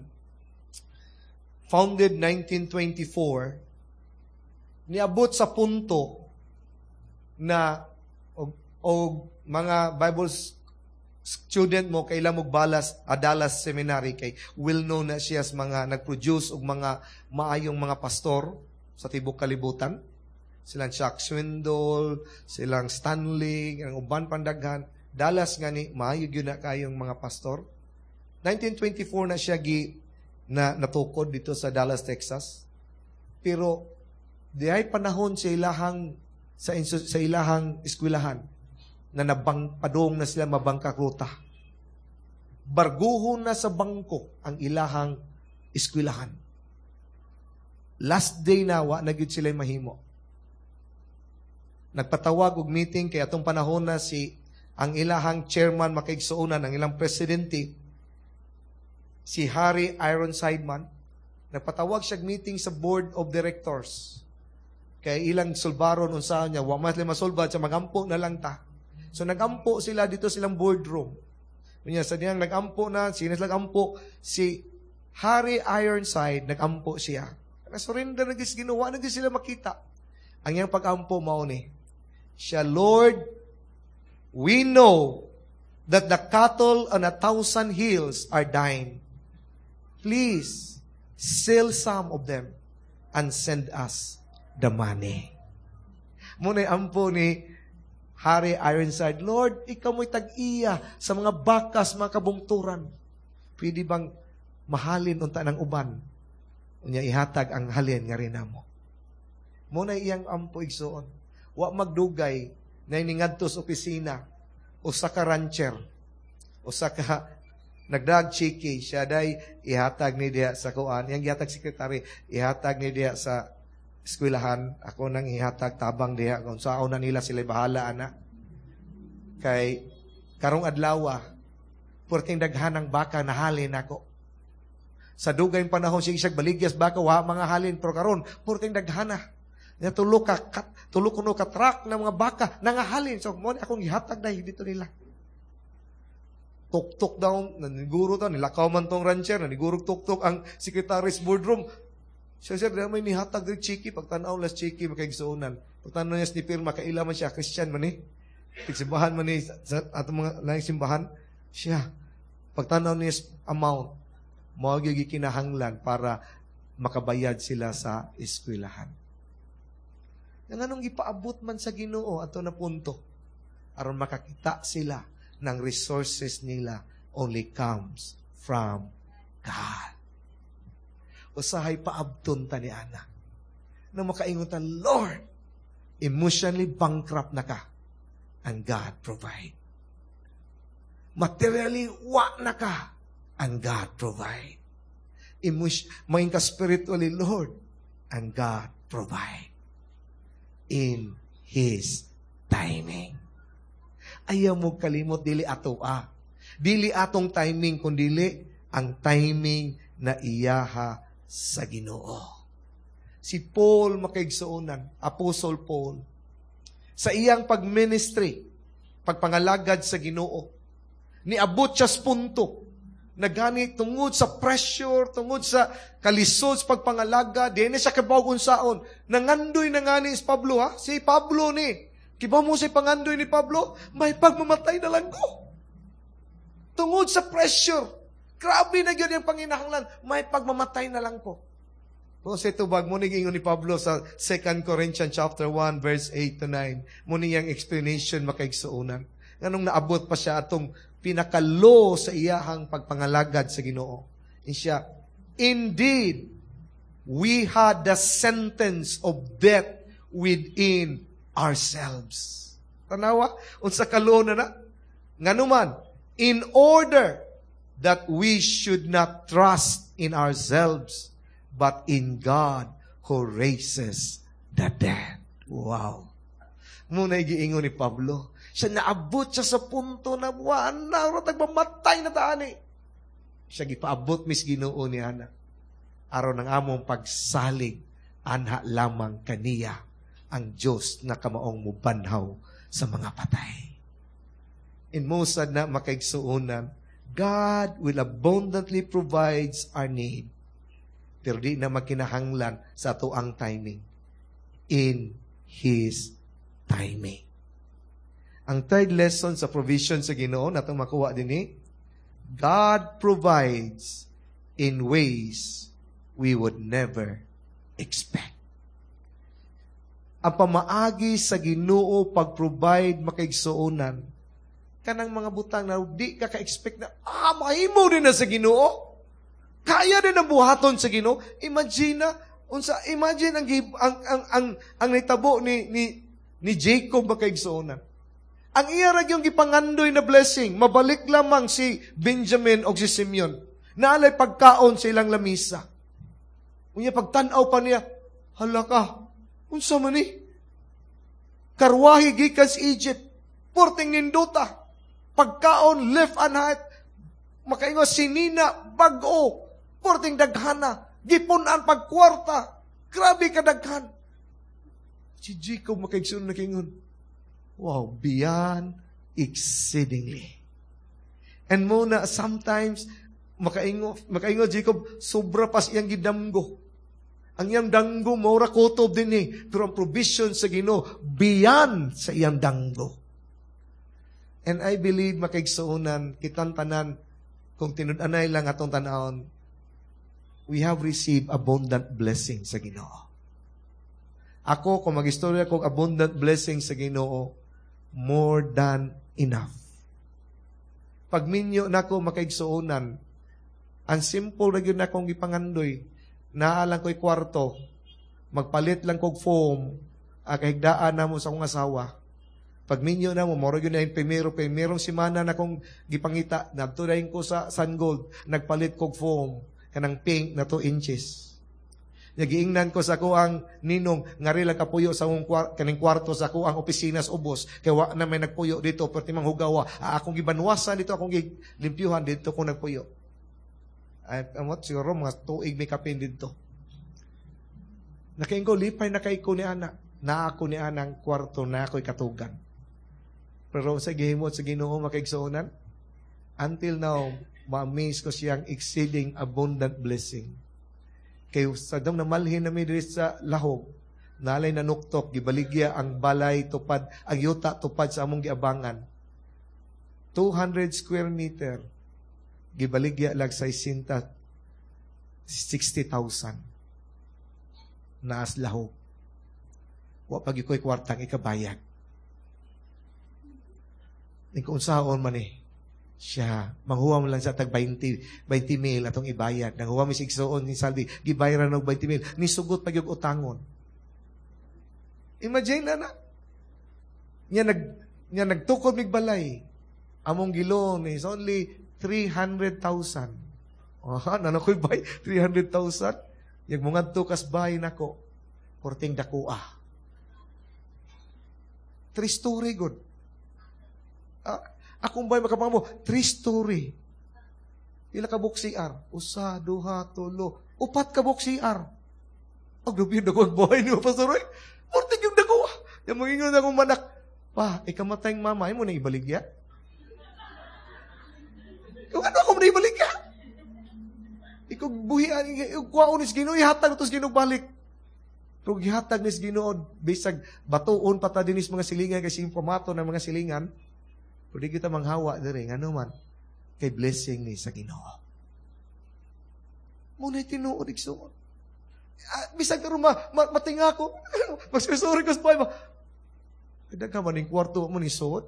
founded 1924, niabot sa punto na og mga Bible student mo kay mo Dallas, Dallas Seminary kay well known na siya sa mga nag-produce og mga maayong mga pastor sa tibok kalibutan. Silang Chuck Swindoll, silang Stanley, ang uban pandaghan. Dallas nga ni maayo gyud na kayong mga pastor. 1924 na siya gi na natukod dito sa Dallas, Texas. Pero dihay panahon sa ilahang eskwelahan na nabang padong na sila mabangkaruta. Barguhon na sa bangko ang ilahang eskwelahan. Last day na, wa na gyud sila mahimo. Nagpatawag og meeting kay atong panahon na si ang ilahang chairman, makaigsuonan, ang ilang presidente, si Harry Ironsideman, nagpatawag siya meeting sa board of directors. Kay ilang sulbaron unsaon niya, wa man sila masulbad sa magampo na lang ta. So nagampo sila dito silang boardroom. Unya sa diyang nagampo na, sino sila nagampo? Si Harry Ironside, nagampo siya. Na-surrender na ginawa na sila makita. Ang iyang pagampo mao ni. Siya, "Lord, we know that the cattle on 1,000 hills are thine. Please, sell some of them and send us the money." Mao ampo ni Harry Ironside, "Lord, ikaw mo'y tag-iya sa mga bakas, mga kabungturan. Pwede bang mahalin unta ng uban? Unya ihatag ang halin nga namo." Mao na iyang ampo, igsuon. Wa magdugay na iningadto sa opisina usa ka rancher, usa ka nagdag chiki siya day ihatag ni diha sa kuan, iyang gihatag sekretary, "Ihatag ni diha sa eskwelahan, ako nang ihatag tabang diha kung saan na nila sila bahala ana. Kay karong adlaw, perting daghan ng baka nahalin ako. Sa dugay panahon sige siya baligyas baka wa mga halin, pero karon perting daghan na. Nya tulo kuno ka truck ng mga baka nangahalin. So mo akong gihatag dahil dito nila." Tuktok daw, naniguro ta, nilakaw man tong rancher, naniguro tuktok ang secretary's boardroom. Siya, "Sir, may nihatag diri chiki." Pagtanaw las chiki, makaigsuonan. Pagtanaw niya ni pirma, kaila man siya, Christian man ni. Tigsimbahan man ni, sa atong mga laing simbahan. Siya, pagtanaw niya amount, mao gyud kinahanglan para makabayad sila sa eskwelahan. Nga nganong gipaabot man sa Ginoo ato na punto aron makakita sila ng resources nila only comes from God. Usahay paabton ta ni ana. Na makaingon ta, "Lord, emotionally bankrupt na ka." And God provide. Materially, wa na ka. And God provide. Emotion, maing ka spiritually, Lord, and God provide. In His timing. Ayaw mo kalimot, dili ato ah. Dili atong timing, kundi ang timing na iyaha sa Ginoo. Si Paul, makaigsuonan, Apostle Paul, Sa iyang pag-ministry, pagpangalagad sa Ginoo, niabot siya sa punto na gani tungod sa pressure, tungod sa kalisod sa pagpangalaga, di na siya kabaw unsaon. Nangandoy na ngani si Pablo, ha? Si Pablo ni. Kibaw mo sa pangandoy ni Pablo, may pagmamatay na lang ko. Tungod sa pressure, grabe na gyud yung panginahanglan, may pagmamatay na lang ko. Kung sa tubag mo ingon ni Pablo sa 2 Corinthians chapter 1 verse 8 to 9, mo niyang explanation, makaigsuonan. Nganong naabot pa siya atong pinaka-low sa iyahang pagpangalagad sa Ginoo. Siya, "Indeed, we had the sentence of death within ourselves." Tanawa, unsa ka-low na na? Nganuman, "in order that we should not trust in ourselves, but in God who raises the dead." Wow. Muna giingon ni Pablo. Siya naabot siya sa punto na wa na mamatay na taani. Siya gipaabot mis Ginoo ni ana. Aron ang among pagsalig anha lamang kaniya, ang Diyos na kamaong mubanhaw sa mga patay. In most na, makaigsuonan, God will abundantly provides our need. Pero di na makinahanglan sa ato ang timing. In His timing. Ang third lesson sa provision sa Ginoo natong makuha din eh, God provides in ways we would never expect. Ang pamaagi sa Ginoo pag-provide, makaigsuonan, kanang mga butang na di ka ka-expect na, mahimo din na sa Ginoo. Kaya din ang buhaton sa Ginoo. Imagine na, unsa, imagine ang nitabo ni Jacob, makaigsuonan. Ang iya ra yung gipangandoy na blessing, mabalik lamang si Benjamin o si Simeon. Naalay pagkaon sa ilang lamisa. Unya pagtan-aw pa niya, hala ka, unsa man ni? Karwahe gikan sa Egypt, porting nindota. Pagkaon left and right, makaingo sinina, bag-o, porting daghana, gipunan pagkwarta, grabe ka daghan. Si Jacob, makaigsoon, nakingon, "Wow, beyond exceedingly." And muna, sometimes, makaingo Jacob, sobra pas iyang gidamgo. Ang iyang danggo, maura kutob din eh. Pero ang provision sa Ginoo, beyond sa iyang danggo. And I believe, makaigsuonan, kitang tanan, kung tinud-anay lang atong tanawon, we have received abundant blessing sa Ginoo. Ako, kung mag-istorya kong abundant blessing sa Ginoo, more than enough. Pagminyo nako, makaigsuonan, ang simple na gyud akong gipangandoy, naa lang ko'y kwarto, magpalit lang kog foam, kahigdaan na mo sa akong asawa. Pagminyo na mo, moro yun na yung primero, primerong simana na kong gipangita, nagtudayin ko sa Sun Gold, nagpalit kog foam, kanang pink na 2 inches. Nagiingnan ko sa ako ang ninong, ngari lang kapuyo sa akong kaning kwarto sa ako ang opisina sa ubos, kay wa na may nagpuyo dito, pero timang hugawa, akong gibanwasan dito, akong gilimpiuhan dito ko nagpuyo. Ay, amot siguro mga tuig may kapin dito. Nakaingo, lipay na kay ko ni ana. Na ako ni anang kwarto na ako'y katugan. Pero sa gihimot sa Ginoo, makaigsuonan, until now, ma-amaze ko siyang exceeding abundant blessing. Kay sa dong namalhin nami diri sa Lahog, nalay nanuktok, gibaligya ang balay tupad, ang yuta tupad sa among giabangan. 200 square meter, gibaligya lag 60,000 naas Lahog. Wa pag iko'y kwartang ikabayag. Kung unsaon man eh, siya, manghuwa mo lang sa tag 20, 20 mil atong ibayad. Nanghuwa mi sa igsuon ni Salvi, gibayaran og 20 mil. Nisugot pa yung utangon. Imagine na na. Nya nagtukod mig balay. Among gi-loan is only 300,000. Oh, nano ko'y bay 300,000. Yag mungadto kas bay nako. Porting dakua. Three story good. Akong bay makapangamo, three story. Pila ka buok CR? Usa, duha, tulo. Upat ka buok CR. Ag grabe dako ang buhay niyo, Pastor Roy. Porting yung dako. Yung mangingon akong manak, "Pa, ikamatay mama, imo na ibaligya?" Kung ano ako na ibaligya? Ikaw buhian, kuhaon ni Ginoo, ihatag to sa Ginoo balik. Kung gihatag ni Ginoo, bisag batuon pa ta dinis mga silingan kay pamato ng mga silingan, pero di kita manghawa diri, ngano man, kay blessing ni sa Ginoo. Muna tinuod, igsuon. Ah, bisag karon ma matinga ko. Magsusuri ko sa buhay ba? Daghan man ning kwarto mo ni suot.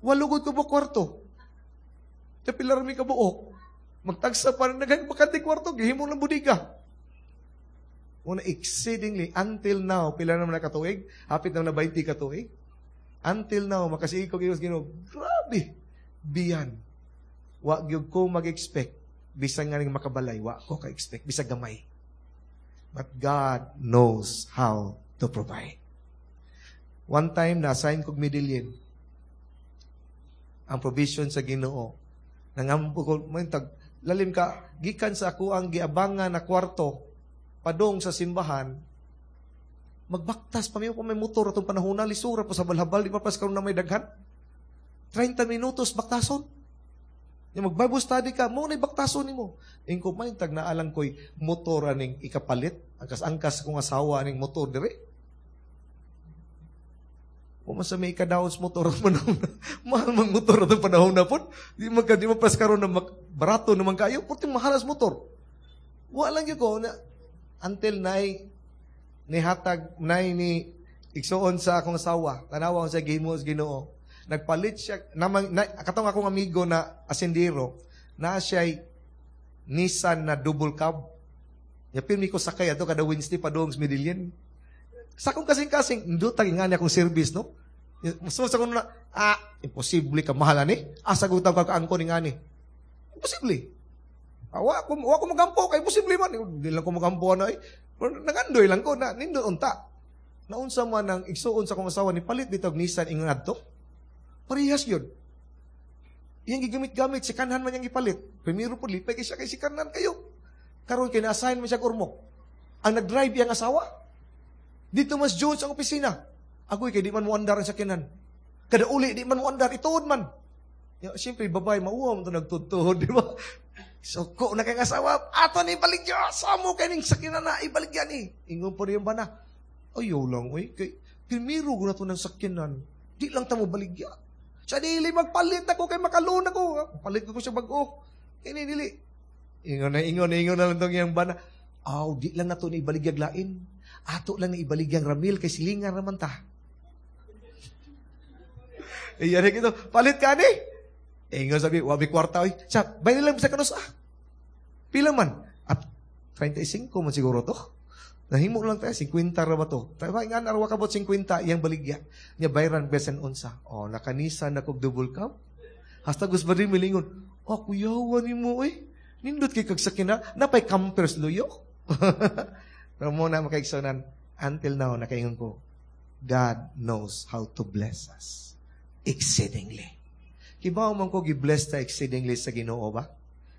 Walugod ko ba kwarto? Pila mi ka buok. Magtagsa pa rin nagay bakante kwarto, gihimo ng budiga. Una exceedingly until now, pila naman na katuig? Hapit na na 20 katuig. Until now, makasiig ko Ginoo. Grabe. Biyan. Wa gyud ko mag-expect bisan nga ning makabalay, wa ko ka-expect bisag gamay. But God knows how to provide. One time, na-assign kog Medellin. Ang provision sa Ginoo. Nangampo ko, may tag, lalim ka, gikan sa ako ang giabangan na kwarto, padong sa simbahan, magbaktas pa may motor atong panahon na, lisura pa sa balhabal, di pa pas karon na may daghan. 30 minutos baktason. Yung mag-Bible study ka, mo na baktason nimo. Ingko may tag naalang ko'y motor aning ikapalit, angkas-angkas kong asawa aning motor dire. Kung sa may ikadaon sa motor panahon na, mahal mang motor atong panahon na po. Di man pas karon na barato naman kayo, purting mahal as motor. Wa lang gyud ko na until nay nihatag nay ni igsuon sa akong asawa. Tanawa ko sa gihimo sa Ginoo. Nagpalit siya namang na, katong akong amigo na asendero na siya'y Nissan na double cab. Ya pirmi ko sakay ato kada Wednesday padung sa Medellin. Sa akong kasing-kasing, ndutag nga niya akong service, no? So sa akong na, imposible ka mahal ani. Asa gutang ka kaangko ni ngani. Imposible. Ah, wa ko magampo kay imposible man. Di lang ko magampo ano eh. Pero nagandoy lang ko na nindot unta. Naunsa man ang igsuon sa akong asawa ni palit bitaw og Nissan ingon adto. Parehas yun. Iyang gigamit-gamit, si kanhan man iyang gipalit. Primero po, lipay kay siya kay si kanhan kayo. Karon kay na-assign man siya Ormoc. Ang nag-drive iyang asawa. Dito mas Jones ang opisina. Agoy kay di man mo andar ang sakyanan. Kada uli di man mo andar, ituod man. Ya, siyempre, babae, mauwa mo ito nagtutuhod, di ba? So, ko na kay asawa, ato ni ibaligya, samo kay ning sakyanan na, ibaligya ni. Ingon po rin ba na? Ayaw lang, oy. Kay, primero ko na to ng sakyanan. Di lang ta mo baligya. Siya dili, magpalit ako kay makalon ako. Palit ko siya bag-o. Kini dili. Ingon na, ingon na lang tong iyang bana. Aw, di lang nato ni ibaligyag lain. Ato lang ni ibaligyang Ramil kay silingan raman ta. Iyan ito, palit ka ni. Ingon sabi, wabi kwarta oy. Sa, bayad lang sa kanus ah. Pila man? At 35 man siguro to. Nahimo lang tayo, 50 ra ba to? Tayo ba, nga narwa kabot 50, iyang baligya. Niya bayran besen unsa. Oh, nakanisa na kog double cab. Hasta gus ba rin milingon, oh, kuyawa ni mo eh. Nindot kay kagsakina, napay campers luyo. Pero muna makaigsunan, until now, nakaingon ko, God knows how to bless us exceedingly. Kibaw man ko gi-bless ta exceedingly sa Ginoo ba?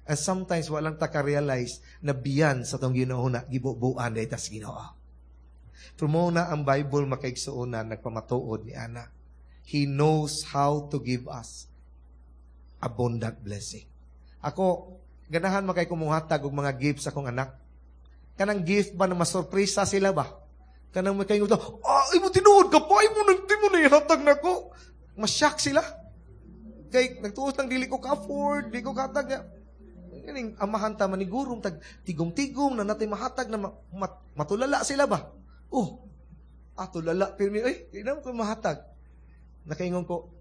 And sometimes walang ta ka-realize na biyan sa tong Ginoo na gibubuan dahil tas Ginoo. Pero mo na ang Bible, makaigsuonan, nagpamatuod ni ana. He knows how to give us abundant blessing. Ako, ganahan man kay kumuhatag og mga gifts sa akong anak. Kanang gift ba na masurpresa sila ba? Kanang may kayo, ah, imo tinuod ka pa, imo nang di mo na ihatag nako. Masyak sila. Kay nagtuos lang dili ko ka-afford, di ko katag niya. Kaning amahan ta manigurong tag tigom-tigom na natay mahatag na matulala sila ba? Oh, tulala pirmi ay, di na ko mahatag. Nakaingon ko,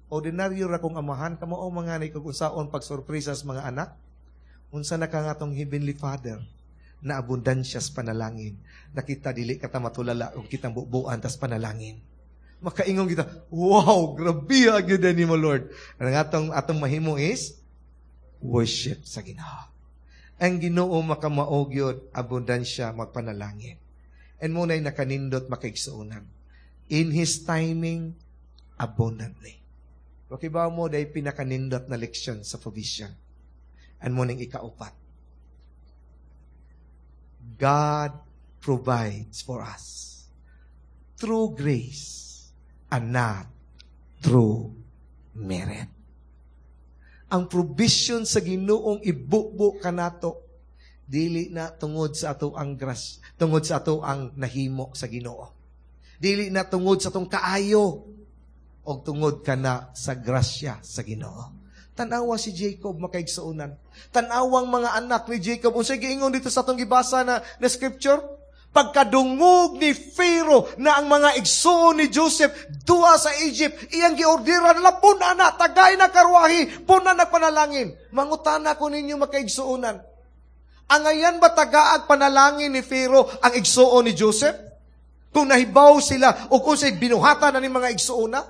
ordinaryo ra kong amahan kamo o mga ni kung unsaon pagsorpresa sa mga anak. Unsa na ka nga tong Heavenly Father na abundansya sa panalangin. Nakita dili ka ta matulala ug kitang bubuan tas panalangin. Makaingon kita, wow, grabe gyud ni mo Lord. Ang atong mahimo is worship sa Ginoo. Ang Ginoo makamao gyud abundansya magpanalangin. And mo na'y nakanindot, makaigsuonan. In His timing, abundantly. Okay ba mo dahil pinakanindot na leksyon sa provision? And mo ning ikaupat. God provides for us through grace and not through merit. Ang provision sa Ginoong ibubo kanato dili na tungod sa ato ang grace, tungod sa ato ang nahimo sa Ginoo. Dili na tungod sa atong kaayo o tungod kana sa grasya sa Ginoo. Tanawa si Jacob, makaigsuonan. Tanawang mga anak ni Jacob. Unsay giingon dito sa atong gibasa na scripture? Pagkadungog ni Pharaoh na ang mga igsuon ni Joseph duha sa Egypt, iyang giorderan, "Lapon ana, tagay na karwahi, puna nagpanalangin." Mangutana ko ninyo, makaigsuonan. Angayan ba tagaag panalangin ni Pharaoh ang igsuon ni Joseph? Kung nahibaw sila o kung sa'y binuhatan na ni mga igsuon na?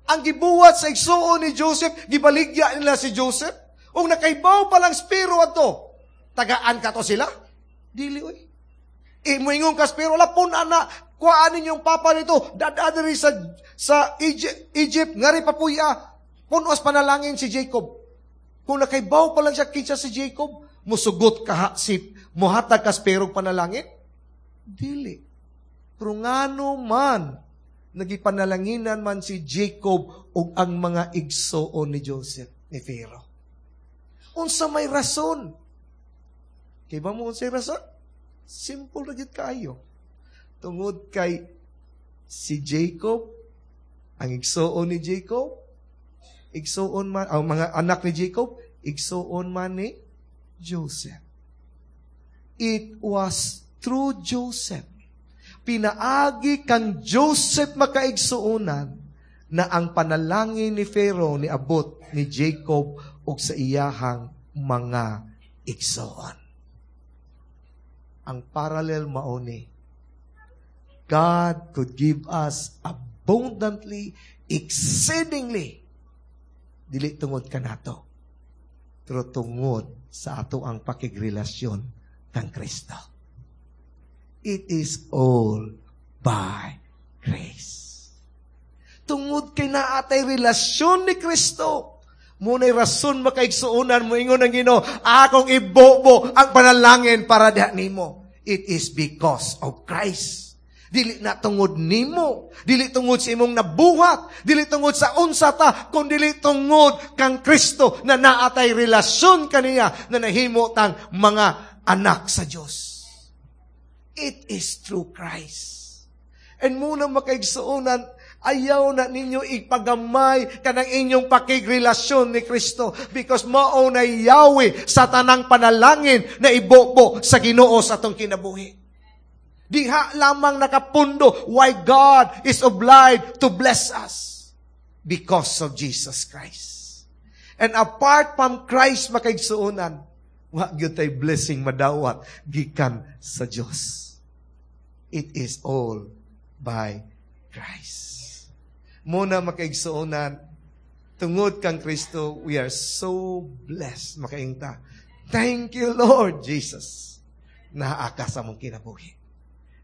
Ang gibuhat sa igsuon ni Joseph, gibaligya nila si Joseph. Kung nakaibaw pa lang Pharaoh ato, tagaan ka to sila? Dili oy. E moingon ka Pharaoh, "Lapon ana, kuhaan ninyong papa nito, dada diri sa Egypt, ngari papuya." Punos panalangin si Jacob. Kung nakaibaw pa lang siya kinsa si Jacob, musugot ka si muhatag ka Pharaoh panalangin? Dili. Pero ngano man, nagipanalanginan man si Jacob ug ang mga igsoon ni Joseph ni Pharaoh? Unsa may rason? Kay ba mo unsay rason? Simple na gyud kaayo. Tungod kay si Jacob, ang igsoon ni Jacob, igsoon man, ang mga anak ni Jacob, igsoon man ni Joseph. It was through Joseph. Pinaagi kang Joseph, makaigsuonan, na ang panalangin ni Pharaoh ni abot ni Jacob ug sa iyahang mga igsoon. Ang parallel mao ni God could give us abundantly, exceedingly, dili tungod kanato, pero tungod sa ato ang pakigrelasyon kang Kristo. It is all by grace. Tungod kay naatay relasyon ni Kristo, muna'y rason, makaigsuonan, mo ingon ang Ginoo, "Akong ibobo ang panalangin para diha nimo." It is because of Christ. Dili na tungod nimo, dili tungod sa imong nabuhat, dili tungod sa unsa ta, kun dili tungod kang Kristo na naatay relasyon kaniya na nahimo tang mga anak sa Dios. It is through Christ. And muna, makaigsuonan, ayaw na ninyo ipagamay kanang inyong pakigrelasyon ni Kristo because mao na yawi sa tanang panalangin na ibobo sa Ginoo sa atong kinabuhi. Diha lamang nakapundo why God is obliged to bless us. Because of Jesus Christ. And apart from Christ, makaigsuonan, wa gyud tay blessing madawat gikan sa Dios. It is all by Christ. Muna, makaigsuonan, tungod kang Kristo, we are so blessed. Makaingta, "Thank you, Lord Jesus. Naa ka sa among kinabuhi.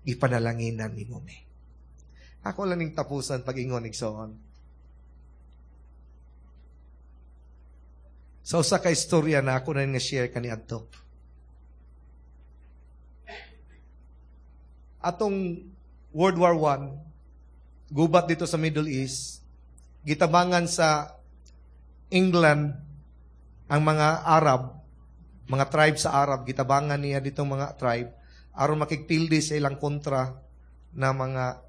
Ipanalanginan nimo mi." Ako lang ning tapusan pag-ingon, igsoon. Sa usa ka istorya na ako na nga share kaniadto. Atong World War I, gubat dito sa Middle East, gitabangan sa England ang mga Arab, mga tribe sa Arab, gitabangan niya ditong mga tribe aron makigpildi sa ilang kontra na mga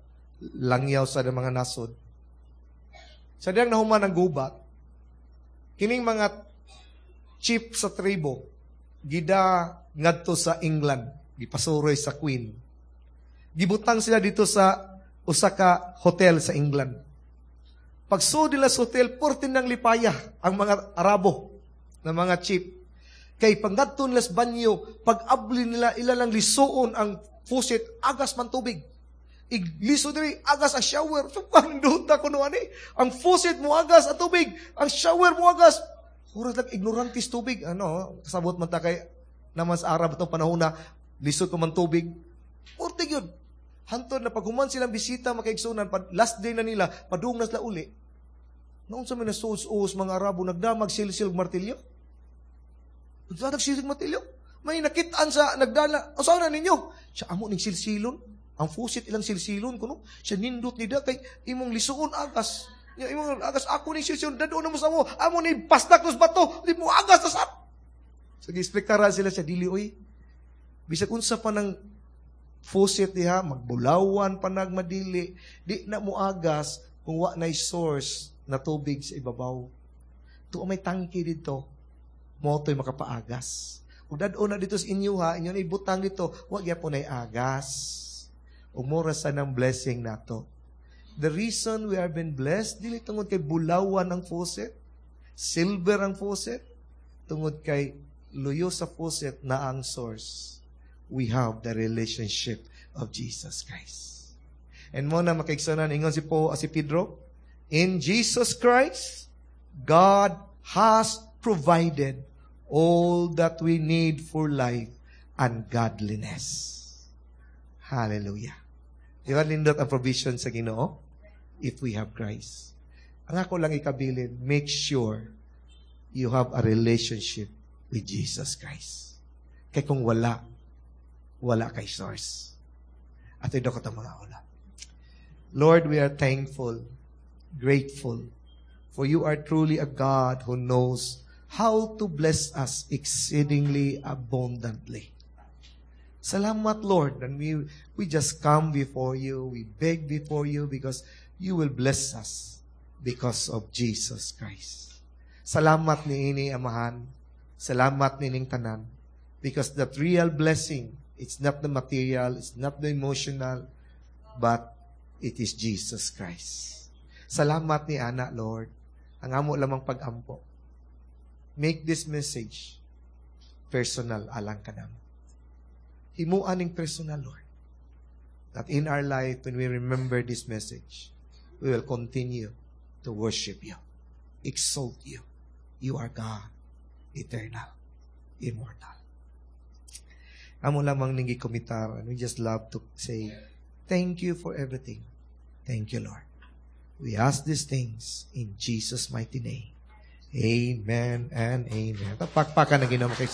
langyaw sa mga nasod. Sa diyang nahuman ang gubat, kining mga chief sa tribo, gida ngadto sa England, gipasuroy sa Queen. Gibutang sila dito sa usa ka hotel sa England. Pagsulod nila sa hotel, purti ng lipaya ang mga Arabo na mga chief. Kay pangadto nila sa banyo, pag abli nila, ila lang lisuon ang faucet, agas man tubig. Igliso diri, agas ang shower. So, panduta ko no ani. Ang faucet mo agas ang tubig, ang shower mo agas. Huras lang ignorantis tubig. Ano, kasabot man ta kay naman sa Arab itong panahon na lisod pa man tubig. Purti yun. Hantod na paghuman silang bisita, makaigsunan, last day na nila, padung na sila uli. Noon sa mga nasuos mga Arabo, nagdamag silsil martilyo. Nagdamag silsil martilyo. May nakitaan sa nagdala. O saan na ninyo? Siya amo ning silsilon. Ang faucet ilang silsilon kuno. Siya nindot ni da kay imong lisuon agas. Ya, imong agas ako ni silsilon dado na mo sa amo. Amo ni pastak los bato, di mo agas ta sa. So giexplikara sila siya dili oy. Bisag unsa pa nang faucet diha, magbulawan pa nagmadili, di na mo agas kung wa nay source na tubig sa ibabaw. Tuo may tangki dito, mo to'y makapaagas. Ug dad-o na dito sa inyo ha, inyo na ibutang dito, wa gyapon nay agas. Ug mura sa ng blessing nato. The reason we have been blessed, dili tungod kay bulawan ang faucet, silver ang faucet, tungod kay luyo sa faucet na ang source. We have the relationship of Jesus Christ. And mo na makaigsunan, ingon si po si Pedro, in Jesus Christ, God has provided all that we need for life and godliness. Hallelujah. Di ba nindot ang provision sa Ginoo? If we have Christ. Ang ako lang ikabilin, make sure you have a relationship with Jesus Christ. Kay kung wala, wala kay source. At ito ko mga ulat. Lord, we are thankful, grateful, for you are truly a God who knows how to bless us exceedingly abundantly. Salamat, Lord, and we just come before you, we beg before you because you will bless us because of Jesus Christ. Salamat niini, Amahan. Salamat nining tanan. Because that real blessing, it's not the material, it's not the emotional, but it is Jesus Christ. Salamat ni Ana, Lord. Ang amo lamang pag-ampo. Make this message personal alang kanamo. Himuan ning personal, Lord. That in our life, when we remember this message, we will continue to worship you, exalt you. You are God, eternal, immortal. Amo lamang ning gikomitar, and we just love to say, thank you for everything. Thank you, Lord. We ask these things in Jesus' mighty name. Amen and amen. Pakpakan ang Ginoo kay.